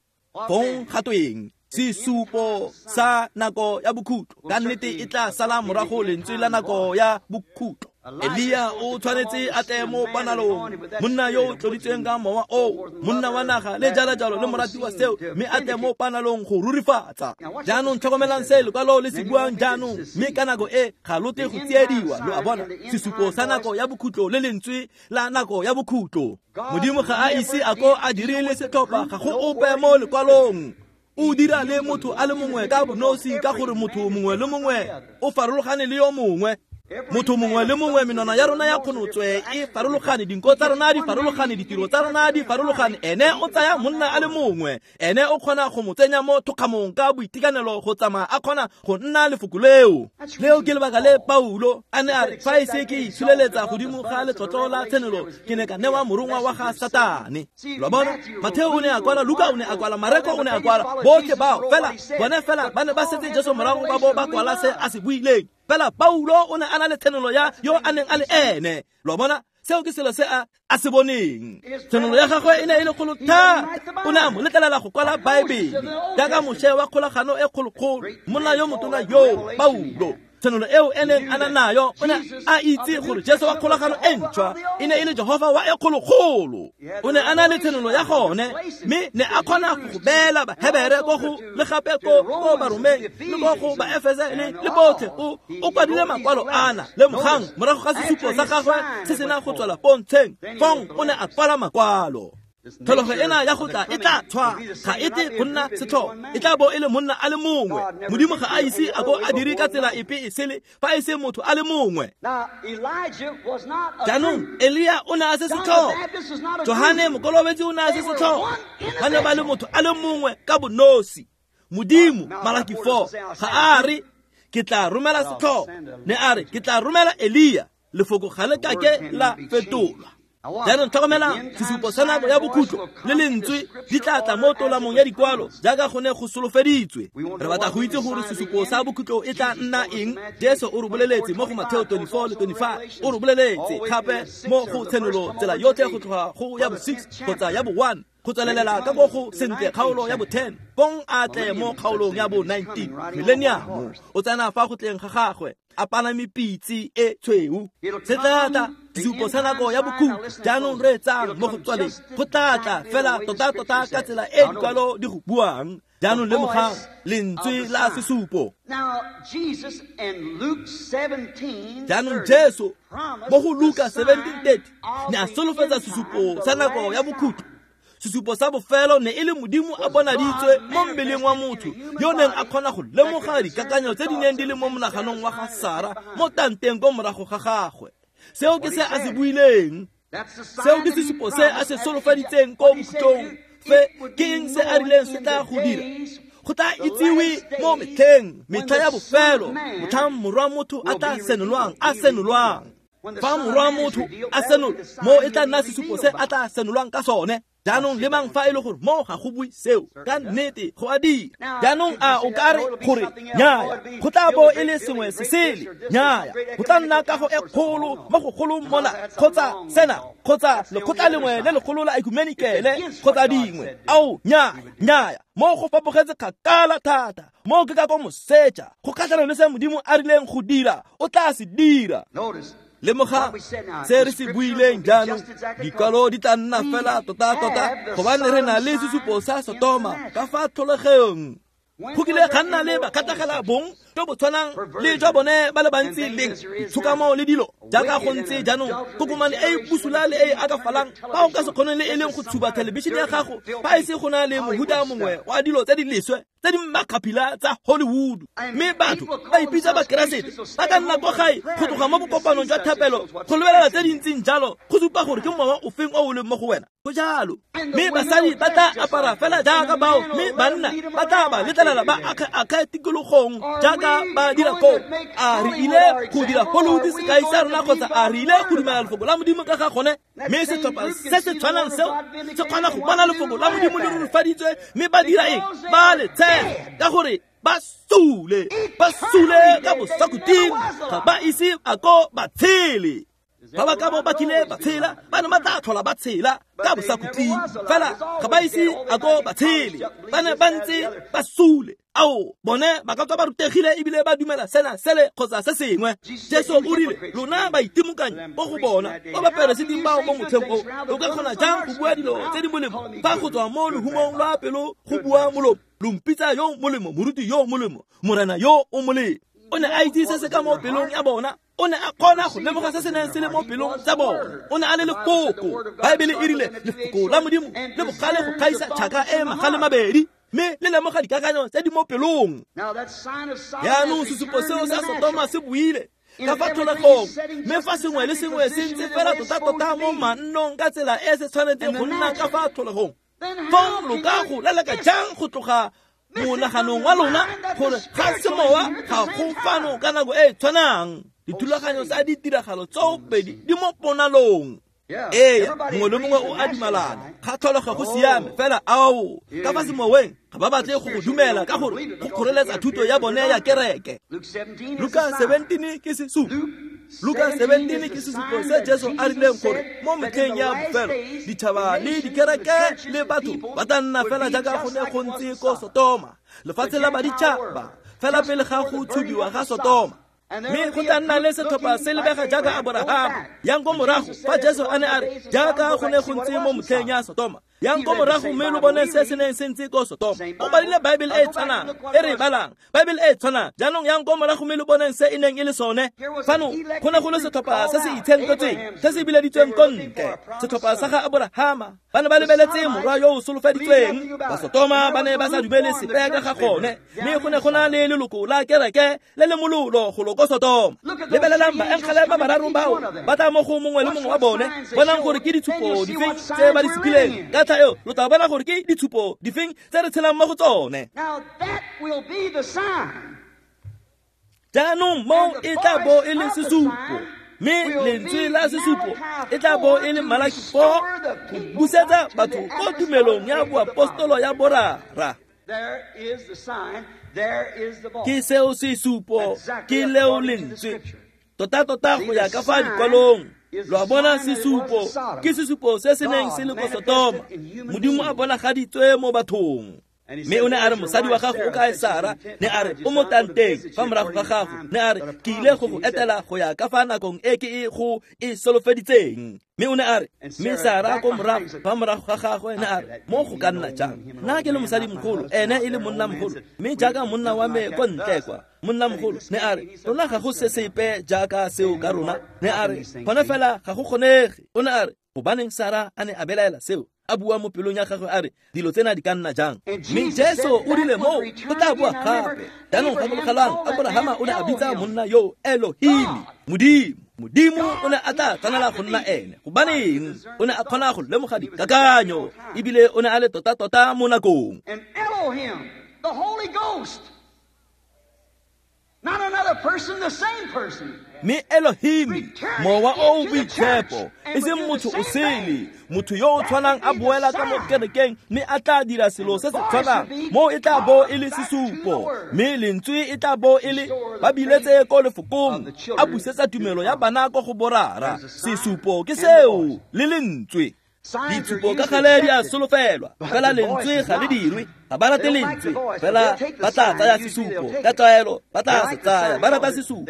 Fong ga tweng? Sesupo sa nako ya bokhutlo ka nnete e tla sala morago lentswe la nako ya bokhutlo. Elia o tshwanetse a tle mo panalong, monna yo o tloditsweng ka mowa oo, monna wa naga le jalo-jalo le morati wa seo, mme a tle mo panalong go rurifatsa. Jaanong tlhokomelang se lekwalo le se buang jaanong, mme ka nako e ga lo tle go tsiediwa. Lo a bona, sesupo sa nako ya bokhutlo le lentswe la nako ya bokhutlo. Modimo ga a ise a ko a dirile setlhopha, ga go ope mo lekwalong. O dira le motho a le mongwe ka bonosi, ka gore motho mongwe le mongwe o farologane le yo mongwe. Motho mongwe le mongwe menwana ya rona ya kgonotswe e farologane, dinko tsa rona di farologane, ditiro tsa rona di farologane. Ene o tsaya monna a le mongwe, ene o kgona go mo tsenya mo thokgamong ka boitekanelo go tsamaya a kgona go nna lefoko leo. Leo ke lebaka le Paulo a ne a re, fa e se ke itsholeletsa godimo ga letlotlo la tshenolo, ke ne ka newa morongwa wa ga Satane. Lo bona, Matheo o ne a kwala, Luka o ne a kwala, Mareko o ne a kwala, botlhe bao fela bone fela ba ne ba setse Jesu morago ba bo ba kwala se a se buileng. Fela Paulo o ne a na le tshenolo ya yo a neng a le ene. Lo bona, seo ke selo se a a se boneng. Tshenolo ya gagwe e ne e le kgolo thata. O ne a mo letlelela go kwala Baebele jaaka Moshe wa kgolagano e kgolokgolo, monna yo motona yo Paulo. Tshenolo eo e neng a na nayo, o ne a itse gore Jesu wa kgolagano e ntšhwa e ne e le Jehova wa e kgolokgolo. O ne a na le tshenolo ya gone, mme ne a kgona go beela Bahebere ko go le gape ko ko Baromeng le ko go Baefese le le botlhe. O o kwadile makwalo ana le mogang morago ga sesupo sa gagwe se sena go tswela pontsheng, fong o ne a kwala makwalo. Tlholego ena ya go tla e tla tshwa, ga e tle go nna setlhogo, e tla bo e le monna a le mongwe. Modimo ga a ise a ko a dire ka tsela epe e sele fa e se motho a le mongwe. Jaanong Elia o ne a se setlhogo, Johane Mokolobetsi o ne a se setlhogo, ba ne ba le motho a le mongwe ka bonosi. Modimo, Malaki four, ga a re ke tla romela setlhogo, ne a re ke tla romela Elia. Lefoko ga le kake la fetolwa. Jaanong tlhokomela, sesupo sa nako ya bokhutlo le lentswe di tla tla mo tolamong ya dikwalo jaaka go ne go solofeditswe. Re batla go itse gore sesupo sa bokhutlo e tla nna eng. Jesu o re boleletse mo go Matheo twenty-four le twenty-five, o re boleletse gape mo go Tshenolo tsela yotlhe go tloga go ya bo six kgotsa ya bo one go tswelelela ka go go sentle kgaolo ya bo ten, pong a tle mo kgaolong ya bo nineteen. Millennium o tsena fa go tleng ga gagwe a palame pitse e tshweu. Se tla tla sesupo sa nako ya bokhutlo. Jaanong re etsang mo go tswaleng, go tla tla fela tota-tota ka tsela e dikwalo di go buang. Jaanong lemogang lentswe la sesupo. Jaanong Jesu mo go Luka seventeen thirty ne a solofetsa sesupo sa nako ya bokhutlo. Sesupo sa bofelo ne e le Modimo a bonaditswe mo mmeleng wa motho yo neng a kgona go lemoga dikakanyo tse di neng di le mo monaganong wa ga Sara mo tanteng ko morago ga gagwe. Seo ke se a se buileng. Seo ke sesupo se a se solofeditseng ko bokhutlong. Fe ke eng se a rileng se tla go dira? Go tla itsiwe mo metlheng, metlha ya bofelo, motlhang morwa motho a tla senolwang, a senolwang. Fa morwa motho a senolwa, mo e tla nna sesupo se a tla senolwang ka sone. Jaanong lemang fa e le gore mo ga go bue seo ka nnete go a dira. Jaanong a o ka re gore nnyaya, go tla bo e le sengwe se sele, nnyaya, go tla nna kago e kgolo mo go golo mona, kgotsa sena, kgotsa lekgotla lengwe le legolo la ekumenikele, kgotsa dingwe. Ao, nnyaya, nnyaya, mo go fapogetse kgakala thata. Mo ke ka ko moseja, go kgatlhanong le se Modimo a rileng go dira, o tla se dira. Lemoga se re se buileng jaanong, dikwalo di tla nna fela tota-tota gobane re na le sesupo sa Sotoma ka fa tlholegong. Go kile ga nna le bakgatlhegela bong jo bo tshwanang le jwa bone ba le bantsi leng ditshokamo le dilo jaaka go ntse jaanong. Kokomane e e busula le e e akafalang, fa o ka se kgoneng le e leng go tshuba thelebišene ya gago fa e se go na le mohuta mongwe wa dilo tse di leswe tse di makgaphila tsa Hollywood. Mme batho ba ipitsa Bakeresete ba ka nna kwa gae go tloga mo bokopanong jwa thapelo go lebelela tse di ntseng jalo go supa gore ke mowa o feng o o leng mo go wena. Go jalo. Mme basadi ba tla apara fela jaaka bao, mme banna ba tla ba letlelela ba akge tikologong jaaka ba dira koo. A re ile go dira Hollywood sekai sa rona kgotsa a re ile go dumela lefoko la Modimo ka ga gone? Mme setlhopha se se tshwanang seo se kgona go bona lefoko la Modimo le rurifaditswe, mme ba dira eng? Ba le tshega ka gore ba sule, ba sule ka bosakhutleng, ga ba ise a ko ba tshele. Ba ba ka bo ba kile ba tshela, ba ne ba tla tlhola ba tshela ka bosakhutleng, fela ga ba ise a ko ba tshele, ba ne ba ntse ba sule. Ao, bone ba ka tswa ba rutegile ebile ba dumela sena sele kgotsa se sengwe. Jesu o rile, lona baitimokanyi mo go bona, ba baperesiti bao mo motlheng o, o ka kgona jang go bua dilo tse di molemo fa go tswa mo lehumong lwa pelo go bua molomo? Lo mpitsa yo molemo, moruti yo molemo, morena yo o molemo. O ne a itse se se ka mo pelong ya bona. O ne a kgona go lemoga se se neng se le mo pelong tsa bona. O ne a le lefoko. Baebele e rile lefoko la Modimo le bogale go gaisa tšhaka e magale mabedi, mme le lemoga dikakanyo tse di mo pelong. Jaanong sesupo seo sa Sotoma se buile, Ka fa tlholegong, mme fa sengwe le sengwe se ntse fela tota-tota mo mannong ka tsela e se tshwanetseng go nna ka fa tlholegong, fong lo ka go leleka jang go tloga monaganong wa lona gore ga semowa ga go fano ka nako e e tshwanang? Dithulaganyo tsa ditiragalo tsoopedi di mo ponalong. Ee, mongwe le mongwe o a dumalana ga tlholego go siame, fela ao ka fa semoweng ga ba batle go go dumela ka gore go kgoreletsa thuto ya bone ya kereke. Luka seventeen ke sesupo. Luka seventeen ke sesupo se Jesu a rileng gore mo metlheng ya bofelo ditšhaba le dikereke le batho ba tla nna fela jaaka go ne go ntse ko Sotoma, lefatshe la baditšhaba, fela pele ga go tshubiwa ga Sotoma. Mme go tla nna le setlhopha se lebega jaaka Aborahama. Yang ko morago fa Jesu a ne a re jaaka go ne go ntse mo motlheng ya Sotoma, yang ko morago mme lo bone se se neng se ntse ko Sotoma. O badile Bible e tshwanang e re e balang, Bible e tshwanang. Jaanong yang ko morago mme lo boneng se e neng e le sone. Fano go ne go le setlhopha se se itshenketsweng, se se bileditsweng ko ntle, setlhopha sa ga Aborahama. Ba ne ba lebeletse morwa yo o solofeditsweng. Ba Sotoma ba ne ba sa dumele sepe ka ga gone, mme go ne go na le leloko la kereke le le mololo go lo ko Sotoma. Lebelelang baengele ba bararo bao ba tla mo go mongwe le mongwe wa bone, bonang gore ke ditshupo difeng tse ba di supileng. Ka tla eo lo tla bona gore ke ditshupo difeng tse re tshelang mo go tsone. Jaanong mo e tla bo e le sesupo, mme lentswe la sesupo e tla bo e le Malaki four, go busetsa batho ko tumelong ya boapostolo ya borara. Ke seo sesupo, ke leo lentswe tota-tota go ya ka fa dikwalong. Lo a bona sesupo, ke sesupo se se neng se le ko Sotoma, Modimo a bonagaditswe mo bathong. Mme o ne a re mosadi wa gago o kae Sara? Ne a re o mo tanteng fa morago ga gago. Ne a re ke ile go go etela go ya ka fa nakong e ke e go e solofeditseng. Mme o ne a re mme Sara ko morago fa morago ga gagwe ne a re mo go ka nna jang? Nna ke le mosadimogolo, ene e le monnamogolo, mme jaaka monna wa me ko ntle kwa, monnamogolo. Ne a re rona ga go se sepe jaaka seo ka rona. Ne a re gone fela ga go kgonege. O ne a re gobaneng Sara a ne a belaela seo? A bua mo pelong ya gagwe a re dilo tsena di ka nna jang? Mme Jesu o rile moo go tla bua gape. Jaanong gakologelang, Aborahama o ne a bitsa monna yo Elohim, Modimo. Modimo o ne a tla tshwanela go nna ene. Gobaneng? O ne a kgona go lemoga dikakanyo, ebile o ne a le tota-tota mo nakong. And Elohim, the Holy Ghost, not another person, the same person. Mme Elohim, mowa o o boitshepo, e seng motho o sele, motho yo o tshwanang a boela ka mo kerekeng mme a tla dira selo se se tshwanang. Mo e tla bo e le sesupo, mme lentswe e tla bo e le ba biletse ko lefokong, a busetsa tumelo ya bana ko go borara. Sesupo ke seo le lentswe. Ditshupo ka gale di a solofelwa, fela lentswe ga le dirwe. Ga ba rate lentswe, fela ba tla tsaya sesupo ka tlwaelo, ba tla se tsaya. Ba rata sesupo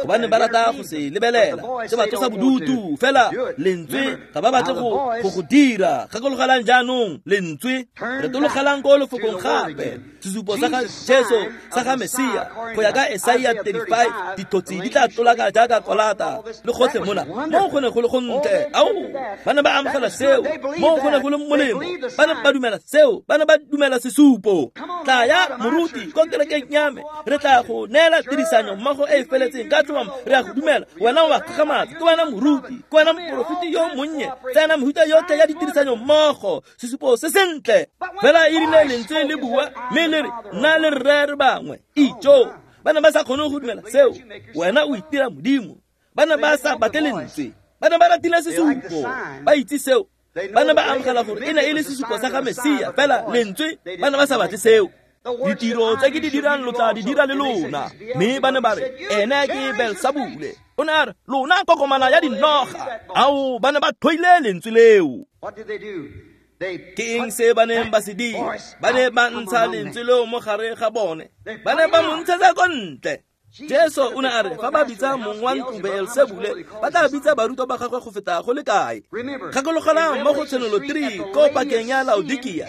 gobane ba rata go se lebelela, se ba tlosa bodutu, fela lentswe ga ba batle go go go dira. Gakologelang jaanong lentswe, retologelang ko lefokong gape. Sesupo sa ga Jesu sa ga Mesia go ya ka Isaia thirty-five, dithotse di tla tlolaka jaaka kolata le gotlhe mona. Mo go ne go le gontle, ao ba ne ba amogela seo, mo go ne go le molemo, ba ne ba dumela seo, ba ne ba dumela sesupo. Tla ya moruti ko kerekeng ya me, re tla go neela tirisanyo mmogo e e feletseng ka tlhomamo, re a go dumela. Wena o a kgakgamatsa, ke wena moruti, ke wena moporofeti yo monnye, tsena mehuta yotlhe ya ditirisanyo mmogo, sesupo se sentle. Fela e rile lentswe le bua mme le re nna le rre re bangwe. Ijo, ba ne ba sa kgone go dumela seo. Wena o itira Modimo. Ba ne ba sa batle lentswe, ba ne ba ratile sesupo, ba itse seo. Ba ne ba amogela gore e ne e le sesupo sa ga Mesia, fela lentswe ba ne ba sa batle seo. Ditiro tse ke di dirang lo tla di dira le lona. Mme ba ne ba re ene ke Beelsebule. O ne a re lona kokomana ya dinoga. Ao, ba ne ba tlhoile lentswe leo. Ke eng se ba neng ba se dira? Ba ne ba ntsha lentswe leo mo gare ga bone, ba ne ba mo ntshetsa ko ntle. Jesu o ne a re fa ba bitsa mong wa ntlo Beelsebule, ba tla bitsa barutwa ba gagwe go feta go le kae? Gakologelang mo go Tshenolo three ko pakeng ya Laodikia.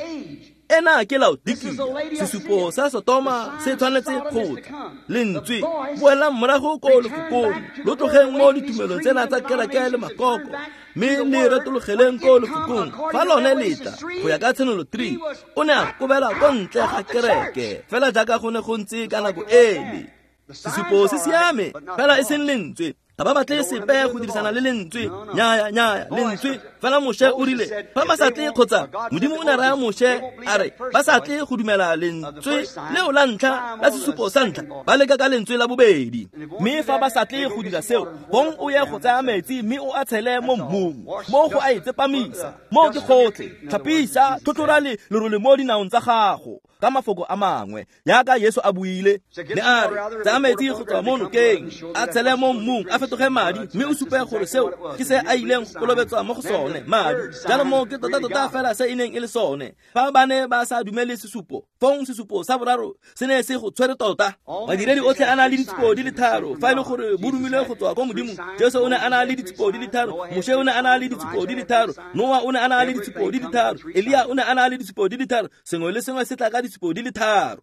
Ena ke Laodikia, sesupo sa Sotoma se tshwanetse go tla. Lentswe boelang morago ko lefokong, lo tlogeng mo ditumelong tsena tsa kereke le makoko, mme le retologeleng ko lefokong. Fa lone letla go ya ka Tshenolo three, o ne a kobela ko ntle ga kereke, fela jaaka go ne go ntse ka nako ele. Sesupo se siame fela e seng lentswe. Ga ba batle sepe go dirisana le lentswe. Nnyaya, nnyaya, lentswe. Fela Moshe o rile fa ba sa tle kgotsa Modimo o ne raya Moshe a re ba sa tle go dumela lentswe leo la ntlha la sesupo sa ntlha, ba leka ka lentswe la bobedi. Mme fa ba sa tle go dira seo, bong o ye go tsaya metsi mme o a tshele mo mmung, mo go a e tsepamisa, mo ke gotlhe, tlhapisa, tlhotlhora le lerole mo dinaong tsa gago. Ka mafoko a mangwe, jaaka Jesu a buile, ne a re tsaya metsi go tswa mo nokeng, a tshele mo mmung, a fetoge madi, mme o supe gore seo ke se a ileng go kolobetswa mo go sone, madi. Jaanong mo ke tota-tota fela se e neng e le sone. Fa ba ne ba sa dumele sesupo, fong sesupo sa boraro se ne se go tshwere tota. Badiredi otlhe a na le ditshupo di le tharo, fa e le gore bo romilwe go tswa ko Modimo. Jesu o ne a na le ditshupo di le tharo, Moshe o ne a na le ditshupo di le tharo, Noa o ne a na le ditshupo di le tharo, Elia o ne a na le ditshupo di le tharo. Sengwe le sengwe se tla ka ditshupo di le tharo.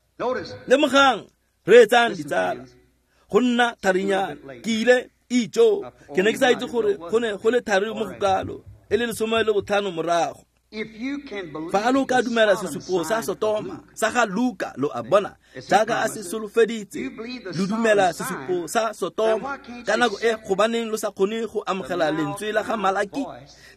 Lemogang, reetsang ditsala, go nna tharinyana. Ke ile ijo, ke ne ke sa itse gore go ne go le thari mo go kalo, e le lesome le botlhano morago. Fa lo ka dumela sesupo sa Sotoma sa ga Luka, lo a bona jaaka a se solofeditse, lo dumela sesupo sa Sotoma ka nako e, gobaneng lo sa kgone go amogela lentswe la ga Malaki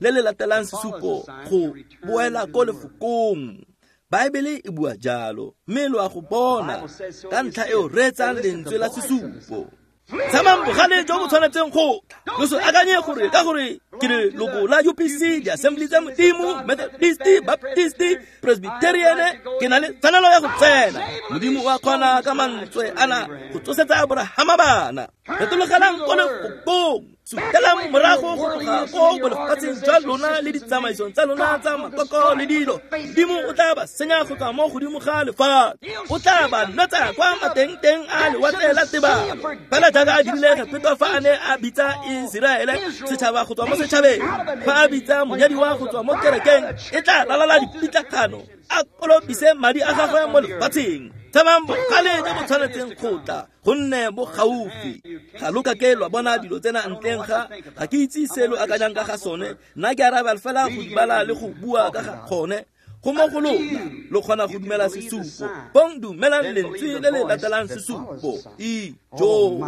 le le latelang sesupo go boela ko lefokong? Baebele e bua jalo, mme lo a go bona. Ka ntlha eo reetsang lentswe la sesupo. Tshamang bogale jo bo tshwanetseng go tla. Lo se akanye gore ka gore ke leloko la U P C, di-Assembly tsa Modimo, Methodist, Baptist, Presbyterian, ke na le tshwanelo ya go tsena. Modimo o a kgona ka mantswe ana go tsosetsa Aborahama bana. Retologelang ko lefokong. Sutelang morago go tloga ko bolefatsheng jwa lona le ditsamaisong tsa lona tsa makoko le dilo. Modimo o tla ba senya go tswa mo godimo ga lefatshe. O tla ba nwetsa kwa matengteng a lewatle la tebalo, fela jaaka a dirile Egepeta fa a ne a bitsa Iseraele setšhaba go tswa mo setšhabeng. Fa a bitsa monyadiwa go tswa mo kerekeng, e tla lalala dipitlagano, a kolobise madi a gagwe mo lefatsheng. Tshamang bogale jo bo tshwanetseng go tla, gonne bo gaufi. Ga lo ka ke lwa bona dilo tsena ntleng ga ga ke itse se lo akanyang ka ga sone. Nna ke arabela fela go di bala le go bua ka ga gone. Go mo go lona, lo kgona go dumela sesupo. Bong dumelang lentswe le le latelang sesupo. Ijo.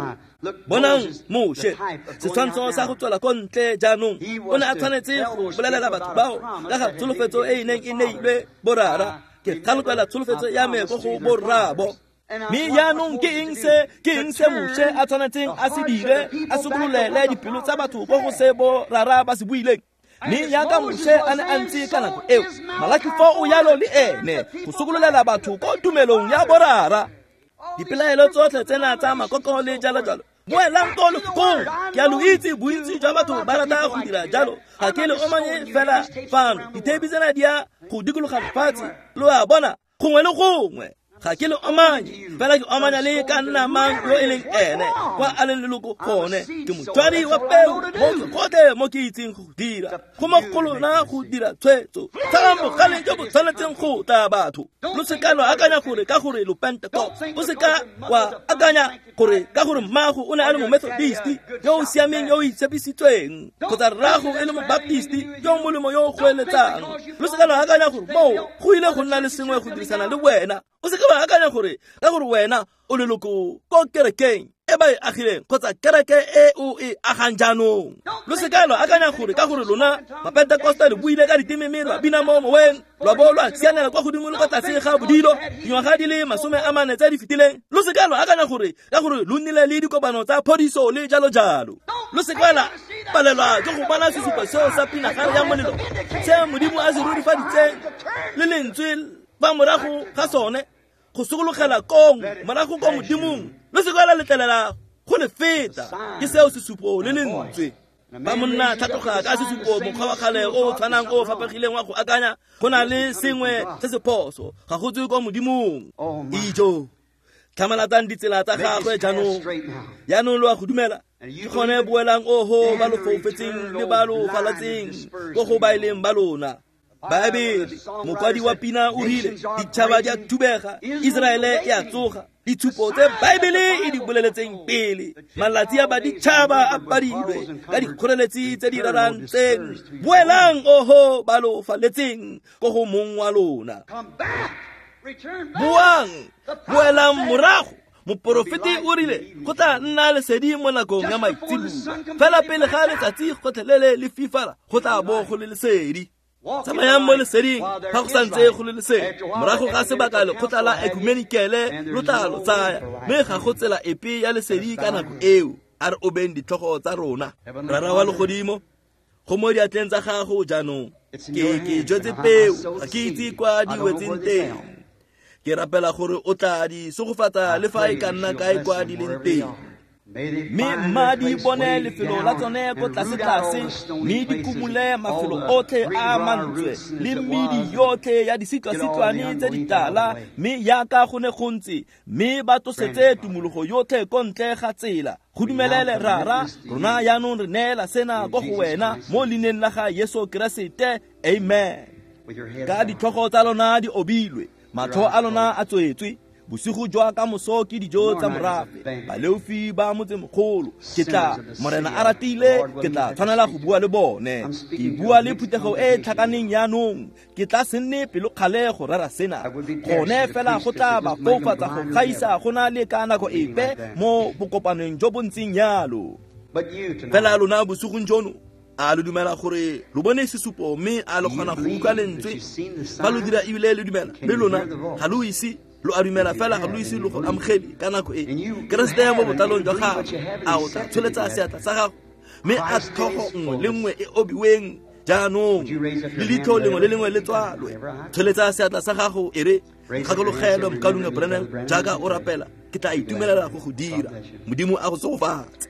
Bonang Moshe, setshwantsho sa go tswela ko ntle jaanong, o ne a tshwanetse go bolelela batho bao ka ga tsholofetso e e neng e neilwe borara. Ke tlhalogela tsholofetso ya me ko go borraabo. Mme jaanong ke eng se ke eng se Moshe a tshwanetseng a se dire, a sokololele dipelo tsa batho ko go se borara ba se buileng? Mme jaaka Moshe a ne a ntse ka nako eo, Malaki fo o yalo le ene go sokololela batho ko tumelong ya borara. Dipelaelo tsotlhe tsena tsa makoko le jalo jalo, boelang ko lefokong. Ke a lo itse bontsi jwa batho ba rata go dira jalo. Ga ke le omanye fela fano, ditheipi tsena di ya go dikologa lefatshe, lo a bona gongwe le gongwe. Ga ke le omanye fela, ke omanya le ka nna mang yo e leng ene kwa a leng leloko gone. Ke motswadi wa peo mo ke gotlhe mo ke itseng go dira. Go mo go lona go dira tshwetso. Tshamang bogale jo bo tshwanetseng go tla batho. Lo se ka lwa akanya gore ka gore lo Pentecost, o se ka wa akanya gore ka gore mmago o ne a le mo-Methodist yo o siameng yo o itshepisitsweng, kgotsa rrago e le mo-Baptist yo o molemo yo o goeletsang. Lo se ka lwa akanya gore moo go ile go nna le sengwe go dirisana le wena. O se ka wa akanya gore ka gore wena o leloko ko kerekeng e ba e agileng kgotsa kereke e o e agang jaanong. Lo se ka lwa akanya gore ka gore lona Mapentekoste le buile ka diteme mme lwa bina mo moweng, lwa bo lwa sianela kwa godimo le kwa tlase ga bodilo dingwaga di le masome a mane tse di fetileng. Lo se ka lwa akanya gore ka gore lo nnile le dikopano tsa phodiso le jalo jalo. Lo se ka la palelwa ke go bona sesupo seo sa pinagare ya molelo se Modimo a se rurifaditseng le lentswe fa morago ga sone go sokologela kong morago ko Modimong. Lo se ka la letlelela go le feta. Ke seo sesupo le lentswe. Ba monna tlhatloga ka sesupo mokgwa wa kgale o o tshwanang o o fapegileng wa go akanya, go na le sengwe se se phoso, ga go tswe kwa Modimong. Ijo, tlhamalatsang ditsela tsa gagwe jaanong. Jaanong lo a go dumela. Ke gone boelang oho ba lo foufetseng le ba lo falatseng ko go ba e leng ba lona. Baebele, mokwadi wa pina o rile ditšhaba di a thubega, Iseraele e a tsoga. Ditshupo tse Baebele e di boleletseng pele, malatsi a baditšhaba a padilwe ka dikgoreletsi tse di rarantseng. Boelang oho ba lo faletseng ko go mong wa lona. Boang, boelang morago. Moporofeti o rile go tla nna lesedi mo nakong ya maitseboa, fela pele ga letsatsi gotlhelele le fifala go tla bo go le lesedi. Tsamayang mo leseding fa go santse go le lesedi. Morago ga sebaka lekgotla la ekumenikele lo tla lo tsaya, mme ga go tsela epe ya lesedi ka nako eo. A re obeng ditlhogo tsa rona. Rara wa legodimo, go mo diatleng tsa gago jaanong. Ke ke jetse peo, ga ke itse kwa di wetseng teng. Ke rapela gore o tla di segofatsa le fa e ka nna kae kwa di leng teng. Mme mma di bone lefelo la tsone ko tlase-tlase, mme di kumule mafelo otlhe a mantswe le medi yotlhe ya disitlwasitlwane tse ditala, mme yaka go ne go ntse, mme ba tlosetse tumologo yotlhe ko ntle ga tsela. Go dumelele Rara, rona jaanong re neela sena ko go wena mo leineng la ga Jesu Keresete, amen. Ka ditlhogo tsa lona di obilwe, matlho a lona a tswetswe. Bosigo jwa ka moso ke dijo tsa morafe, baleofi ba motsemogolo. Ke tla, Morena a ratile, ke tla tshwanela go bua le bone. Ke bua le phuthego e e tlhakaneng jaanong. Ke tla se nne pelokgale go rera sena. Gone fela go tla ba foufatsa go gaisa go na le ka nako epe mo bokopanong jo bo ntseng jalo. Fela lona bosigong jono, a lo dumela gore lo bone sesupo, mme a lo kgona go utlwa lentswe? Fa lo dira ebile le dumela, mme lona ga lo ise lo a dumela fela ga lo ise lo go amogele ka nako e. Keresete mo botlalong jwa gago, a o tla tsholetsa seatla sa gago, mme a tlhogo nngwe le nngwe e obiweng jaanong, le leitlho lengwe le lengwe le tswalwe. Tsholetsa seatla sa gago e re, Kgakologelwa mokaulengwe Branham, jaaka o rapela, ke tla itumelela go go dira. Modimo a go tsogofatse.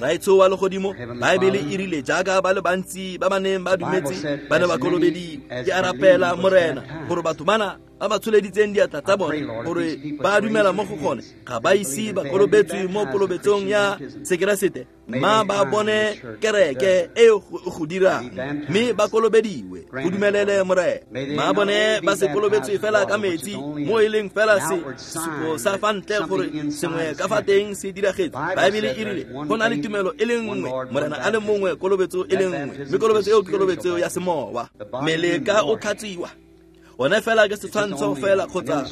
Raetsho wa legodimo, Baebele e rile jaaka ba le bantsi ba ba neng ba dumetse ba ne ba kolobediwa. Ke a rapela Morena gore batho bana ba ba tsholeditseng diatla tsa bone gore ba dumela mo go gone ga ba ise ba kolobetswe mo kolobetsong ya Sekeresete, mma ba bone kereke e go dirang, mme ba kolobediwe. Go dumelele Morena. Mma bone ba se kolobetswe fela ka metsi, mo e leng fela se sesupo sa fa ntle gore sengwe ka fa teng se diragetse. Baebele e rile go na le tumelo e le nngwe, Morena a le mongwe, kolobetso e le nngwe, mme kolobetso eo ke kolobetso ya semowa. Mmele ka o tlhatswiwa one fela ke setshwantsho fela kgotsa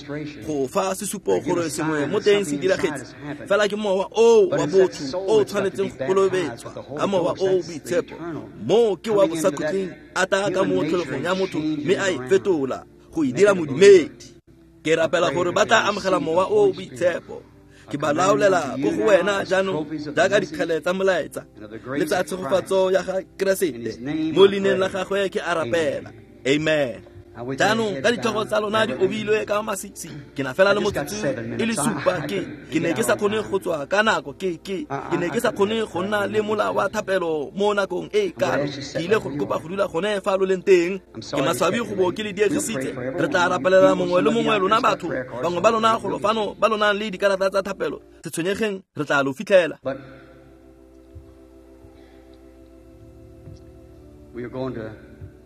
go fa sesupo gore sengwe mo teng se diragetse. Fela ke mowa o wa botho o tshwanetseng go kolobetswa ka mowa o o boitshepo. Mo ke wa bosakhutleng, a tla ka mo tlholegong ya motho mme a e fetola go e dira modumedi. Ke rapela gore ba tla amogela mowa o o boitshepo. Ke ba laolela ko go wena jaanong jaaka dikgele tsa molaetsa le tsa tshegofatso ya ga Keresete. Mo leineng la gagwe ke a rapela, amen. Jaanong ka ditlhogo tsa lona di obilwe ka masisi, ke na fela le motsotso e le supa. Ke ke ne ke sa kgone go tswa ka nako, ke ke ke ne ke sa kgone go nna le mola wa thapelo mo nakong e kalo. Ke ile go kopa go dula gone fa lo leng teng. Ke maswabi go bo ke le diegisitse. Re tla rapelela mongwe le mongwe lona batho, bangwe ba lona golo fano ba lo nang le dikarata tsa thapelo. Se tshwenyegeng, re tla lo fitlhela.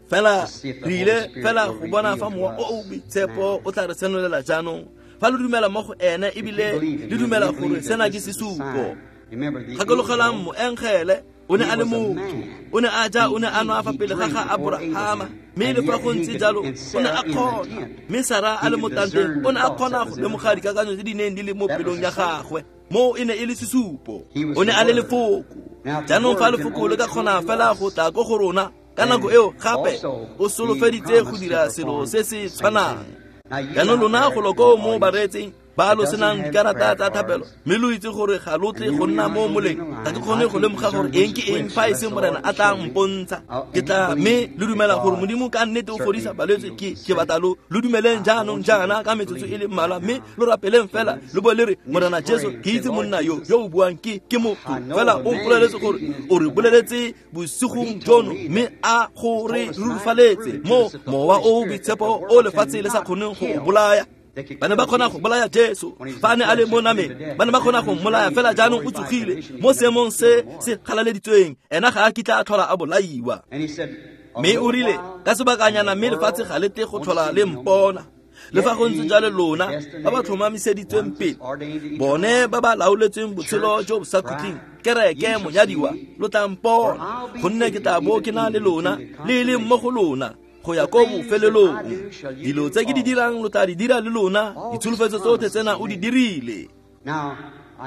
Fela re ile fela go bona fa mowa o o boitshepo o tla re senolela jaanong. Fa lo dumela mo go ene ebile le dumela gore sena ke sesupo. Gakologelang moengele o ne a le motho, o ne a ja, o ne a nwa fa pele ga ga Aborahama, mme le fa go ntse jalo o ne a kgona. Mme Sara a le mo tanteng o ne a kgona go lemoga dikakanyo tse di neng di le mo pelong ya gagwe. Mo e ne e le sesupo, o ne a le lefoko. Jaanong fa lefoko le ka kgona fela go tla ko go rona ka nako eo, gape o solofeditse go dira selo se se tshwanang. Jaanong lona golo koo mo bareetseng ba lo senang dikarata tsa thapelo, mme lo itse gore ga lo tle go nna mo moleng, ga ke kgone go lemoga gore eng ke eng fa e se Morena a tla mpontsha. Ke tla, mme lo dumela gore Modimo ka nnete o fodisa balwetse. Ke ke batla lo lo dumeleng jaanong jaana ka metsotso e le mmalwa, mme lo rapeleng fela lo bo le re, Morena Jesu, ke itse monna yo yo o buang ke ke motho, fela o mpoleletse gore o re boleletse bosigong jono, mme a go re rurifaletse mo mowa o o boitshepo o lefatshe le sa kgoneng go o bolaya. Ba ne ba kgona go bolaya Jesu fa a ne a le mo nameng, ba ne ba kgona go mmolaya, fela jaanong o tsogile mo seemong se se galaleditsweng. Ena ga a kitla a tlhola a bolaiwa. Mme o rile ka sebakanyana, mme lefatshe ga le tle go tlhola le mpona. Le fa go ntse jalo lona ba ba tlhomamiseditsweng pele, bone ba ba laoletsweng botshelo jo bo sa khutleng, kereke monyadiwa, lo tla mpona, gonne ke tla bo ke na le lona le e leng mo go lona go ya ko bofelelong. Dilo tse ke di dirang lo tla di dira le lona, ditsholofetso tsotlhe tsena o di dirile.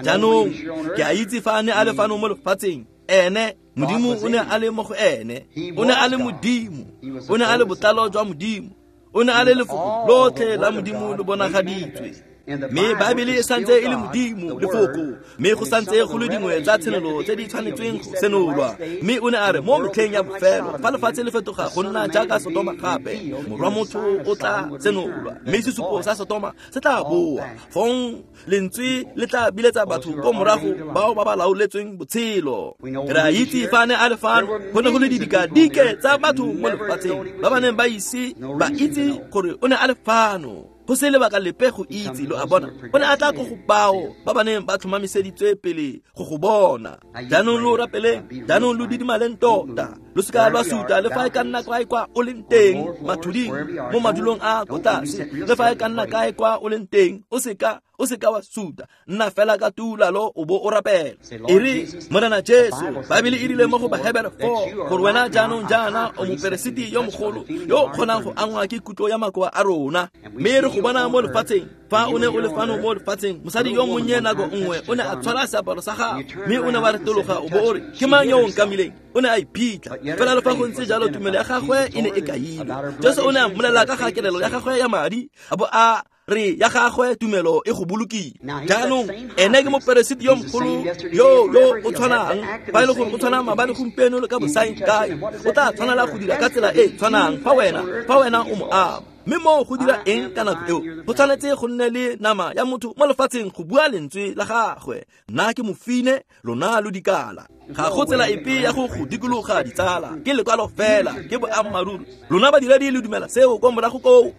Jaanong ke a itse fa a ne a le fano mo lefatsheng, ene Modimo o ne a le mo go ene, o ne a le Modimo, o ne a le botlalo jwa Modimo, o ne a le lefoko lotlhe la Modimo le bonagaditswe. Mme Baebele e santse e le Modimo lefoko, mme go santse go le dingwe tsa tshenolo tse di tshwanetsweng go senolwa. Mme o ne a re mo metlheng ya bofelo, fa lefatshe le fetoga go nna jaaka Sotoma gape, morwa motho o tla senolwa, mme sesupo sa Sotoma se tla boa. Fong lentswe le tla biletsa batho ko morago bao ba ba laoletsweng botshelo. Re a itse fa ne a le fano, go ne go le didikadike tsa batho mo lefatsheng ba ba neng ba ise ba itse gore o ne a le fano. Go se lebaka lepe go itse, lo a bona. O ne a tla ko go bao ba ba neng ba tlhomamiseditswe pele go go bona. Jaanong lo rapeleng, jaanong lo didimaleng tota. Lo seka lwa suta le fa e ka nna kae kwa o leng teng, mathuding, mo madulong a ko tlase, le fa e ka nna kae kwa o leng teng, o seka o seka wa suta. Nna fela ka tuulalo o bo o rapela. E re, Morena Jesu, Baebele e rile mo go Bahebere four gore wena jaanong jaana o moperesiti yo mogolo yo o kgonang go angwa ke kutlo ya makoa a rona. Mme re go bona mo lefatsheng, fa o ne o le fano mo lefatsheng, mosadi yo monnye nako nngwe o ne a tshwara seaparo sa gago, mme o ne wa retologa o bo o re, ke mang yo o nkamileng? O ne a iphitlha. Fela le fa go ntse jalo, tumelo ya gagwe e ne e kailwe. Jesu o ne a mmolelela ka ga kelelo ya gagwe ya madi, a bo a re ya gagwe tumelo e go bolokile. Jaanong ene ke moperesiti yo mogolo yo yo o tshwanang, fa e le gore o tshwana maabane, gompieno le ka bosaengkae, o tla tshwanela go dira ka tsela e tshwanang fa wena fa wena o mo ama. Mme moo go dira eng ka nako eo? Go tshwanetse go nne le nama ya motho mo lefatsheng go bua lentswe la gagwe. Nna ke mofine, lona lo dikala. Ga go tsela epe ya go go dikologa ditsala, ke lekwalo fela, ke boammaaruri. Lona badiredi le dumela seo ko morago koo.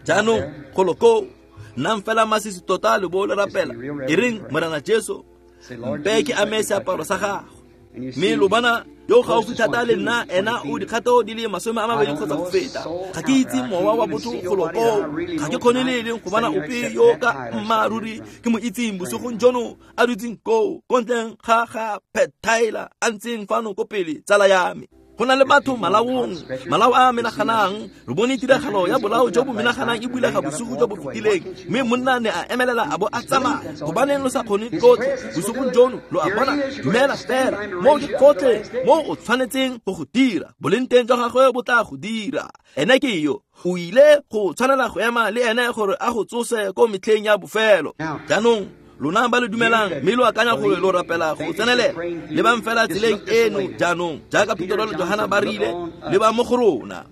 Jaanong golo koo, nnang fela masisi tota le bo le rapela. E reng, Morena Jesu, mpe ke ame seaparo sa gago. Mme lo bona yo gaufi thata le nna, ena o dikgato di le masome a mabedi kgotsa go feta. Ga ke itse mowa wa botho golo koo, ga ke kgone le e leng go bona ope yo ka mmaaruri ke mo itseng bosigong jono a dutseng koo, ko ntleng ga ga Pat Tyler a ntseng fano ko pele, tsala ya me. Go na le batho malaong, malao a menaganang. Re bone tiragalo ya bolao jo bo menaganang e bulega bosigo jo bo fetileng, mme monna ne a emelela a bo a tsamaya. Gobaneng lo sa kgone tlotle bosigong jono? Lo a bona, dumela fela. Moo ke gotlhe mo o tshwanetseng go go dira. Boleng teng jwa gagwe bo tla go dira. Ene ke yo, o ile go tshwanela go ema le ene gore a go tsose ko metlheng ya bofelo. Jaanong lona ba le dumelang, mme lo akanya gore lo rapela go tsenelela, lebang fela tseleng eno jaanong, jaaka Petro le Johana ba rile, leba mo go rona.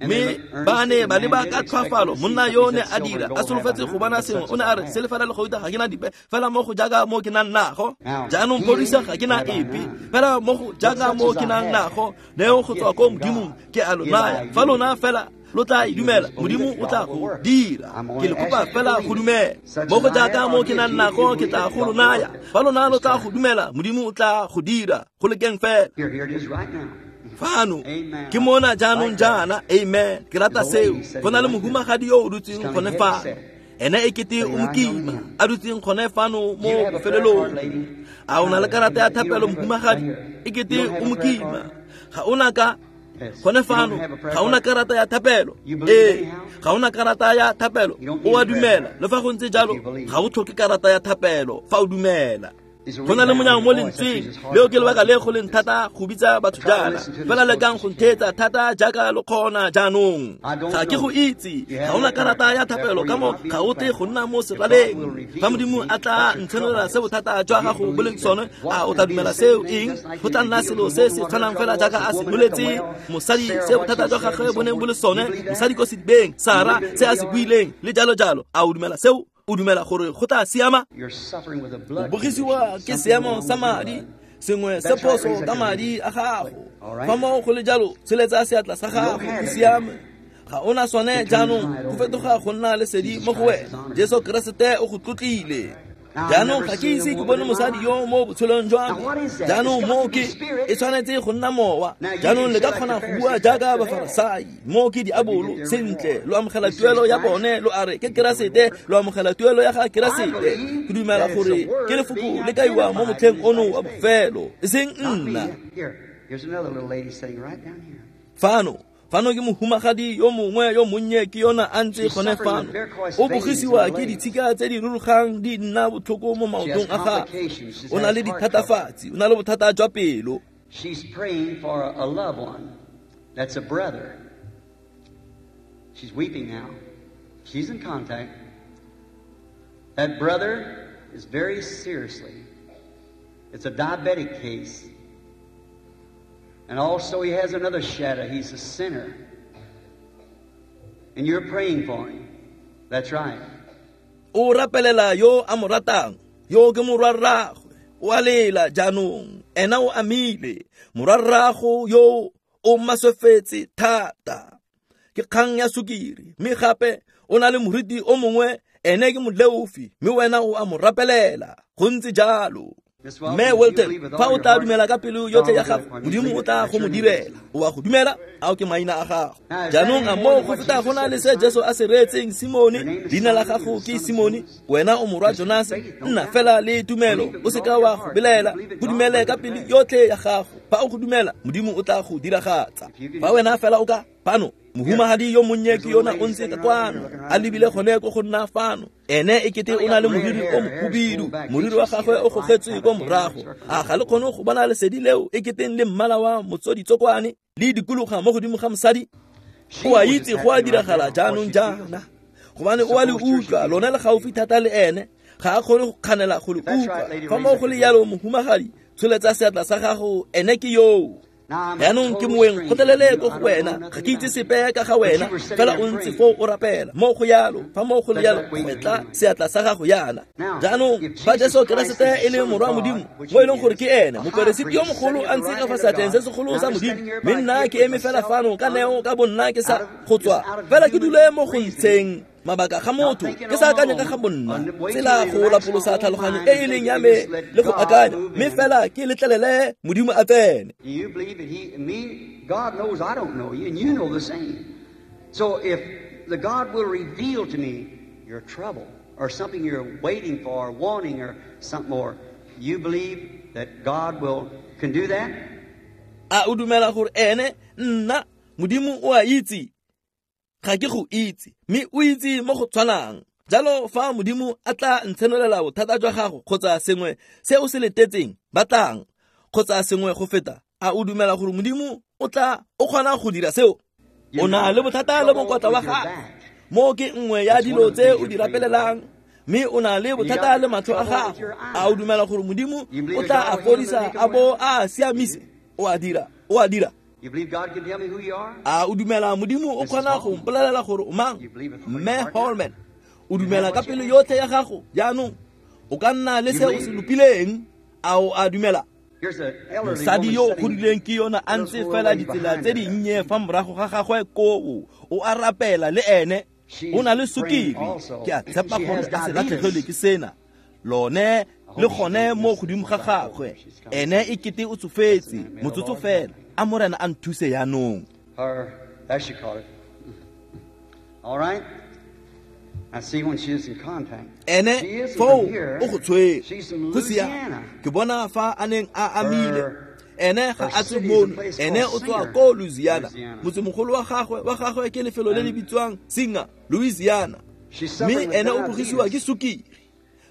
Mme ba ne ba leba ka tlhoafalo. Monna yo ne a dira a solofetse go bona sengwe, o ne a re, selefela le gauta ga ke na dipe, fela mo go jaaka mo ke nang nago. Jaanong phodisa ga ke na epe, fela mo go jaaka mo ke nang nago, neo go tswa ko Modimong ke a lo naya. Fa lona fela lo tla e dumela, Modimo o tla go dira. Ke le kopa fela go dumela. Mo go jaaka mo ke nang nago ke tla go lo naya. Fa lona lo tla go dumela, Modimo o tla go dira. Go lekeng fela. Fano ke mona jaanong jaana. Amen. Ke rata seo. Go na le mohumagadi yo o dutseng gone fano, ene e kete o mokima, a dutseng gone fano mo bofelelong. A o na le karata ya thapelo, mohumagadi? E kete o mokima. Ga o na ka gone fano, ga ona karata ya thapelo. Ee, ga ona karata ya thapelo. O a dumela. Le fa go ntse jalo, ga o tlhoke karata ya thapelo fa o dumela. Go na le monyang mo lentsweng leo, ke lebaka le go leng thata go bitsa batho jaana. Fela lekang go ntheetsa thata jaaka lo kgona jaanong. Ga ke go itse, ga ona karata ya thapelo ka mo ga o tle go nna mo seraleng. Fa Modimo a tla ntshenolela se bothata jwa gago bo leng sone, a o tla dumela seo? Eng? Go tla nna selo se se tshwanang fela jaaka a se boletse mosadi se bothata jwa gagwe bo neng bo le sone, mosadi ko sedibeng, Sara, se a se buileng, le jalo jalo. A o dumela seo? O dumela gore go tla siama? O bogisiwa ke seemo sa madi, sengwe se phoso ka madi a gago. Fa moo go le jalo, tsholetsa seatla sa gago, go siame. Ga ona sone jaanong, go fetoga go nna lesedi mo go wena. Jesu Keresete o go tlotlile. Jaanong ga ke ise ke bone mosadi yo mo botshelong jwa me. Jaanong mo ke e tshwanetse go nna mowa. Jaanong le ka kgona go bua jaaka Bafarasai, mo ke diabolo. Sentle, lo amogela tuelo ya bone, lo a re ke Keresete, lo amogela tuelo ya ga Keresete. Ke dumela gore ke lefoko le kaiwa mo motlheng ono wa bofelo, e seng nna. Fano Fano ke mohumagadi yo mongwe yo monnye ke yona a ntse gone fano. O bogisiwa ke ditshika tse di rurugang di nna botlhoko mo maotong a gagwe. O na le dithatafatsi, o na le bothata jwa pelo. She's praying for a loved one. That's a brother. She's weeping now. She's in contact. That brother is very seriously. It's a diabetic case. And also he has another shadow. He's a sinner. And you're praying for him. That's right. O rapelela yo a mo ratang, yo ke morwarragwe, o a lela jaanong, ena o amile, morwarrago yo o maswefetse thata. Ke kgang ya sukiri, mme gape o na le moriti o mongwe, ene ke moleofi, mme wena o a mo rapelela. Go ntse jalo. Mme Wilton, fa o tla dumela ka pelo yotlhe ya gago, Modimo o tla go mo direla. O a go dumela? Ao ke maina a gago. Jaanong a moo go feta go na le se Jesu a se reetseng Simone, leina la gago ke Simone, wena o morwa Jonase, nna fela le tumelo, o seka wa go belaela, go dumele ka pelo yotlhe ya gago. Fa o go dumela, Modimo o tla go diragatsa. Fa wena fela o ka fano, mohumagadi yo monnye ke yona o ntse ka kwano, a lebile gone ko go nna fano. Ene e kete o na le moriri o mohubidu, moriri wa gagwe o gogetswe ko morago. A ga le kgone go bona lesedi leo e keteng le mmala wa motsoditsokwane le dikologa mo godimo ga mosadi? O a itse go a diragala jaanong jaana, gobane o a le utlwa, lona le gaufi thata le ene, ga a kgone go kganela go le utlwa. Fa mo go le jalo, mohumagadi, tsholetsa seatla sa gago, ene ke yoo. Jaanong ke moeng kgotlelele ko go wena, ga ke itse sepe ka ga wena, fela o ntse foo o rapela. Mo go yalo, fa mo go le yalo, gwetla seatla sa gago yana. Jaanong fa Jesu Keresete e le morwa Modimo, mo e leng gore ke ene moperesiti yo mogolo a ntse ka fa seatleng se segolo sa Modimo, mme nna ke eme fela fano ka neo ka bonna ke sa go tswa, fela ke dule mo go ntsheng mabaka ga motho, ke sa akanye ka ga bonna, tsela go lapolosa tlhaloganyo e e leng ya me le go akanya, mme fela ke letlelele Modimo a tsene. Do you believe that he, me, God knows I don't know you, and you know the same. So if the God will reveal to me your trouble, or something you're waiting for, or wanting, or something more, you believe that God will can do that? A o dumela gore ene nna Modimo o a itse, ga ke go itse, mme o itse mo go tshwanang. Jalo fa Modimo a tla ntshenolela bothata jwa gago kgotsa sengwe se o se letetseng, batlang kgotsa sengwe go feta, a o dumela gore Modimo o tla o kgona go dira seo? O na le bothata le mokotla wa gago, mo ke nngwe ya dilo tse o di rapelelang, mme o na le bothata le matlho a gago. A o dumela gore Modimo o tla a fodisa a bo a siamise? O a dira, o a dira. A o dumela Modimo o kgona go mpolelela gore o mang? Mme Holman, o dumela ka pelo yotlhe ya gago jaanong? O ka nna le se o se lopileng. A o a dumela? Mosadi yo o godileng ke yona a ntse fela ditsela tse dinnye fa morago ga gagwe koo, o a rapela le ene, o na le sukiri. Ke a tshepa gore a se latlhegelwe ke sena, lone le gone mo godimo ga gagwe. Ene e kete o tsofetse, motsotso fela. A Morena a nthuse jaanong. Ene foo o go tshwere, go siame. Ke bona fa a neng a amile. Ene ga a tswe mono, ene o tswa ko Louisiana. Motsemogolo wa gagwe wa gagwe ke lefelo le le bitswang Singer, Louisiana. Mme ene o bogisiwa ke sukiri.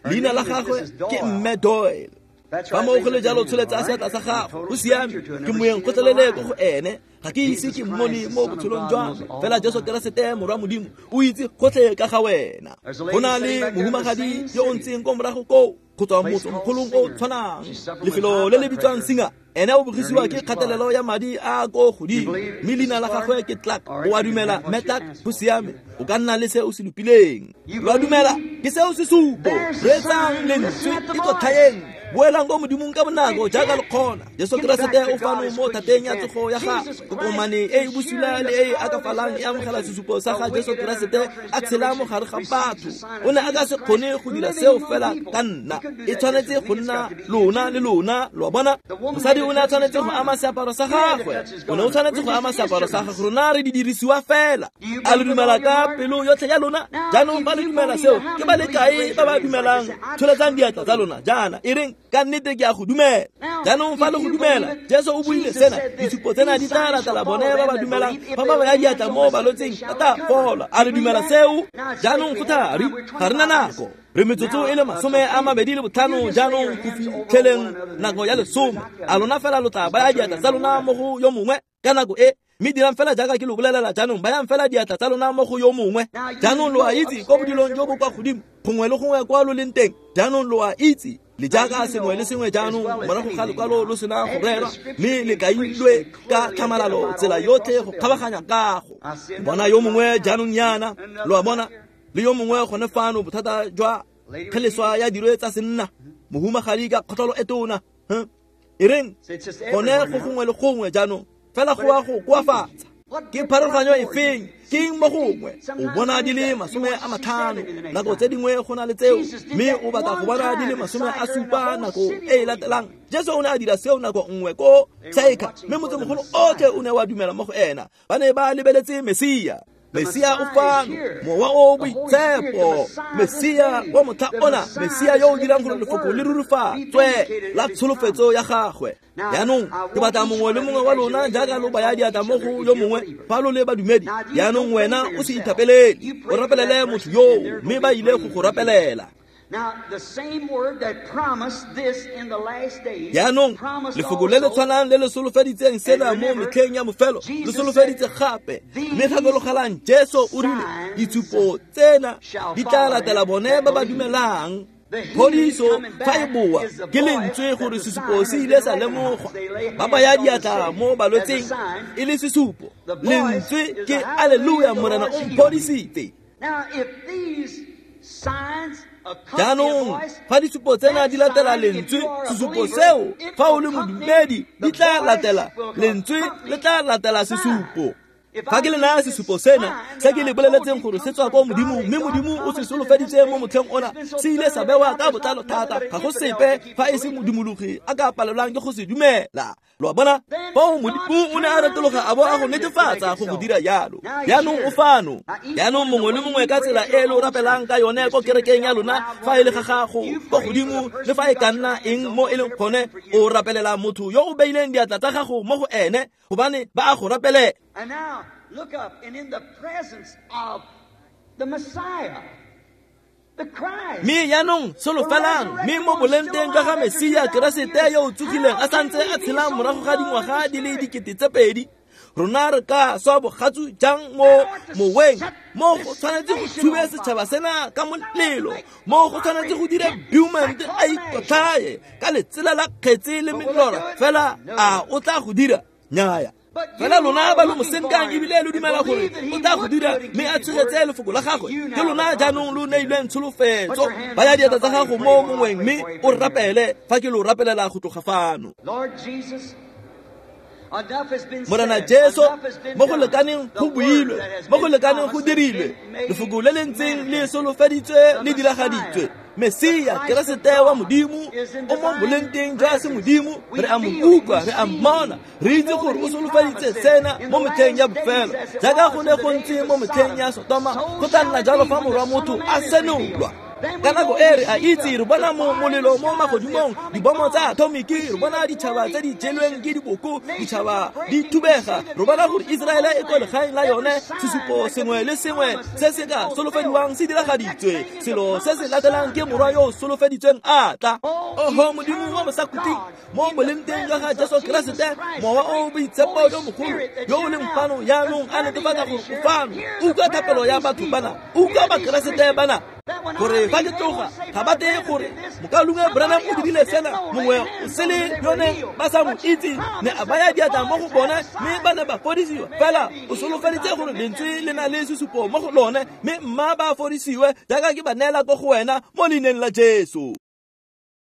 Leina la gagwe ke Mme Doyle. Fa mo go le jalo, tsholetsa seatla sa gago, go siame. Ke moeng kgotlelele ko go ene, ga ke ise ke mmone mo botshelong jwa me, fela Jesu Keresete morwa Modimo o itse gotlhe ka ga wena. Go na le mohumagadi yo o ntseng ko morago koo, go tswa motsemogolong o tshwanang, lefelo le le bitswang Singer. Ene o bogisiwa ke kgatelelo ya madi a ko godimo, mme leina la gagwe ke Clark. O a dumela, mme Clark? Go siame, o ka nna le se o se lopileng. Lo a dumela? Ke seo sesupo. Reetsang lentswe, ikotlhaeng, boelang ko Modimong ka bonako jaaka le kgona. Jesu Keresete o fano mo thateng ya tsogo ya gagwe. Kokomane e e bosula le e e akafalang e amogela sesupo sa ga Jesu Keresete a tshela mo gare ga batho. O ne a ka se kgone go dira seo fela ka nna, e tshwanetse go nna lona le lona. Lo a bona? Mosadi o ne a tshwanetse go ama seaparo sa gagwe, o ne o tshwanetse go ama seaparo sa gagwe. Rona re di dirisiwa fela. A le dumela ka pelo yotlhe ya lona? Jaanong ba le dumela seo, ke ba le kae ba ba dumelang? Tsholetsang diatla tsa lona jaana, e reng ka nnete ke a go dumela. Jaanong fa le go dumela, Jesu o buile sena, ditshupo tsena di tla latela bone ba ba dumelang, fa ba baya diatla mo balwetseng ba tla fola. A re dumela seo? Jaanong go thari, ga re na nako. Re metsotso e le masome a mabedi le botlhano jaanong go fitlheleng nako ya lesome. A lona fela lo tla baya diatla tsa lona mo go yo mongwe ka nako e, mme dirang fela jaaka ke lo bolelela jaanong, bayang fela diatla tsa lona mo go yo mongwe. Jaanong lo a itse ko bodilong jo bo kwa godimo, gongwe le gongwe kwa lo leng teng. Jaanong lo a itse le jaaka sengwe le sengwe jaanong morago ga lekwalo lo sena go rerwa, mme le kailwe ka tlhamalalo tsela yotlhe go kgabaganya kago. Bona yo mongwe jaanong yana, lo a bona, le yo mongwe gone fano bothata jwa kgeleswa ya dirwe tsa senna, mohumagadi ka kgotlholo e tona. E reng gone go gongwe le gongwe jaanong, fela go a go koafatsa. Ke pharologanyo e feng? Ke eng mo gongwe o bona di le masome a matlhano, nako tse dingwe go na le tseo, mme o batla go bona di le masome a supa nako e e latelang. Jesu o ne a dira seo nako nngwe ko Saika, mme motsemogolo otlhe o ne wa dumela mo go ena. Ba ne ba lebeletse Mesia. Mesia o fano, Mowa o Boitshepo, Mesia wa motlha ona, Mesia yo o dirang gore lefoko le rurifatswe la tsholofetso ya gagwe. Jaanong ke batla mongwe le mongwe wa lona jaaka lo baya diatla mo go yo mongwe fa lo le badumedi. Jaanong wena o se ithapelele, o rapelele motho yoo, mme ba ile go go rapelela. Jaanong lefoko le le tshwanang le le solofeditseng sena mo metlheng ya bofelo le solofeditse gape. Mme gakologelang, Jesu o rile ditshupo tsena di tla latela bone ba ba dumelang. Phodiso fa e boa ke lentswe gore sesupo se ile sa lemogwa. Ba baya diatla mo balwetseng e le sesupo. Lentswe ke alleluia, Morena o mphodisitse. Jaanong fa ditshupo tsena di latela lentswe, sesupo seo fa o le modumedi di tla latela lentswe, le tla latela sesupo. Fa ke le naya sesupo sena se ke le boleletseng gore se tswa ko Modimo, mme Modimo o se solofeditse mo motlheng ona, se ile sa bewa ka botlalo thata, ga go sepe fa e se modumologi a ka palelwang ke go se dumela. Lo a bona? Foo Modimo o ne a retologa a bo a go netefatsa go go dira jalo. Jaanong o fano. Jaanong mongwe le mongwe ka tsela e lo rapelang ka yone ko kerekeng ya lona, fa e le ga gago ko godimo, le fa e ka nna eng mo e leng gone, o rapelela motho yo o beileng diatla tsa gago mo go ene, gobane ba a go rapelela. And now, look up, and in the presence of the Messiah, the Christ. Mme jaanong solofelang, mme mo bolengteng jwa ga Mesia Keresete yo o tsogileng a santse a tshela morago ga dingwaga di le dikete tse pedi, rona re ka swa bogatsu jang mo moweng? Mo go tshwanetse go tshube setšhaba sena ka molelo, mo go tshwanetse go dire Beaumont a ikotlhaye ka letsela la kgetse le melora. Fela a o tla go dira? Nnyaya. Fela lona ba lo mo senkang ebile lo dumela gore o tla go dira, mme a tshegetse lefoko la gagwe. Ke lona jaanong lo neilweng tsholofetso. Baya diatla tsa gago mo mongweng mme o rapele fa ke lo rapelela go tloga fano. Morena Jesu, mo go lekaneng go builwe, mo go lekaneng go dirilwe, lefoko le le ntseng le solofeditswe le diragaditswe. Mesia Keresete wa Modimo o mo bolengteng jwa semodimo, re a mo utlwa, re a mmona, re itse gore o solofeditse sena mo metlheng ya bofelo. Jaaka go ne go ntse mo metlheng ya Sotoma, go tla nna jalo fa morwa motho a senolwa. Ka nako e re a itse, re bona mo molelo mo magodimong, dibomo tsa atomiki, re bona ditšhaba tse di jelweng ke diboko, ditšhaba di thubega. Re bona gore Iseraele e ko legaeng la yone, sesupo sengwe le sengwe se se ka solofediwang se diragaditswe. Selo se se latelang ke morwa yo o solofeditsweng a tla. Oho Modimo wa bosakhutleng, mo bolengteng jwa ga Jesu Keresete, Mowa o o Boitshepo yo mogolo yo o leng fano jaanong a netefatsa gore o fano. Utlwa thapelo ya batho bana, utlwa Bakeresete bana, gore fa ke tloga ga ba teye gore mokaulengwe Branham o dirile sena, mongwe o sele yone ba sa mo itse, ne a baya diatla mo go bone mme ba ne ba fodisiwa. Fela o solofeditse gore lentswe le na le sesupo mo go lone, mme mma ba fodisiwe jaaka ke ba neela ko go wena mo leineng la Jesu.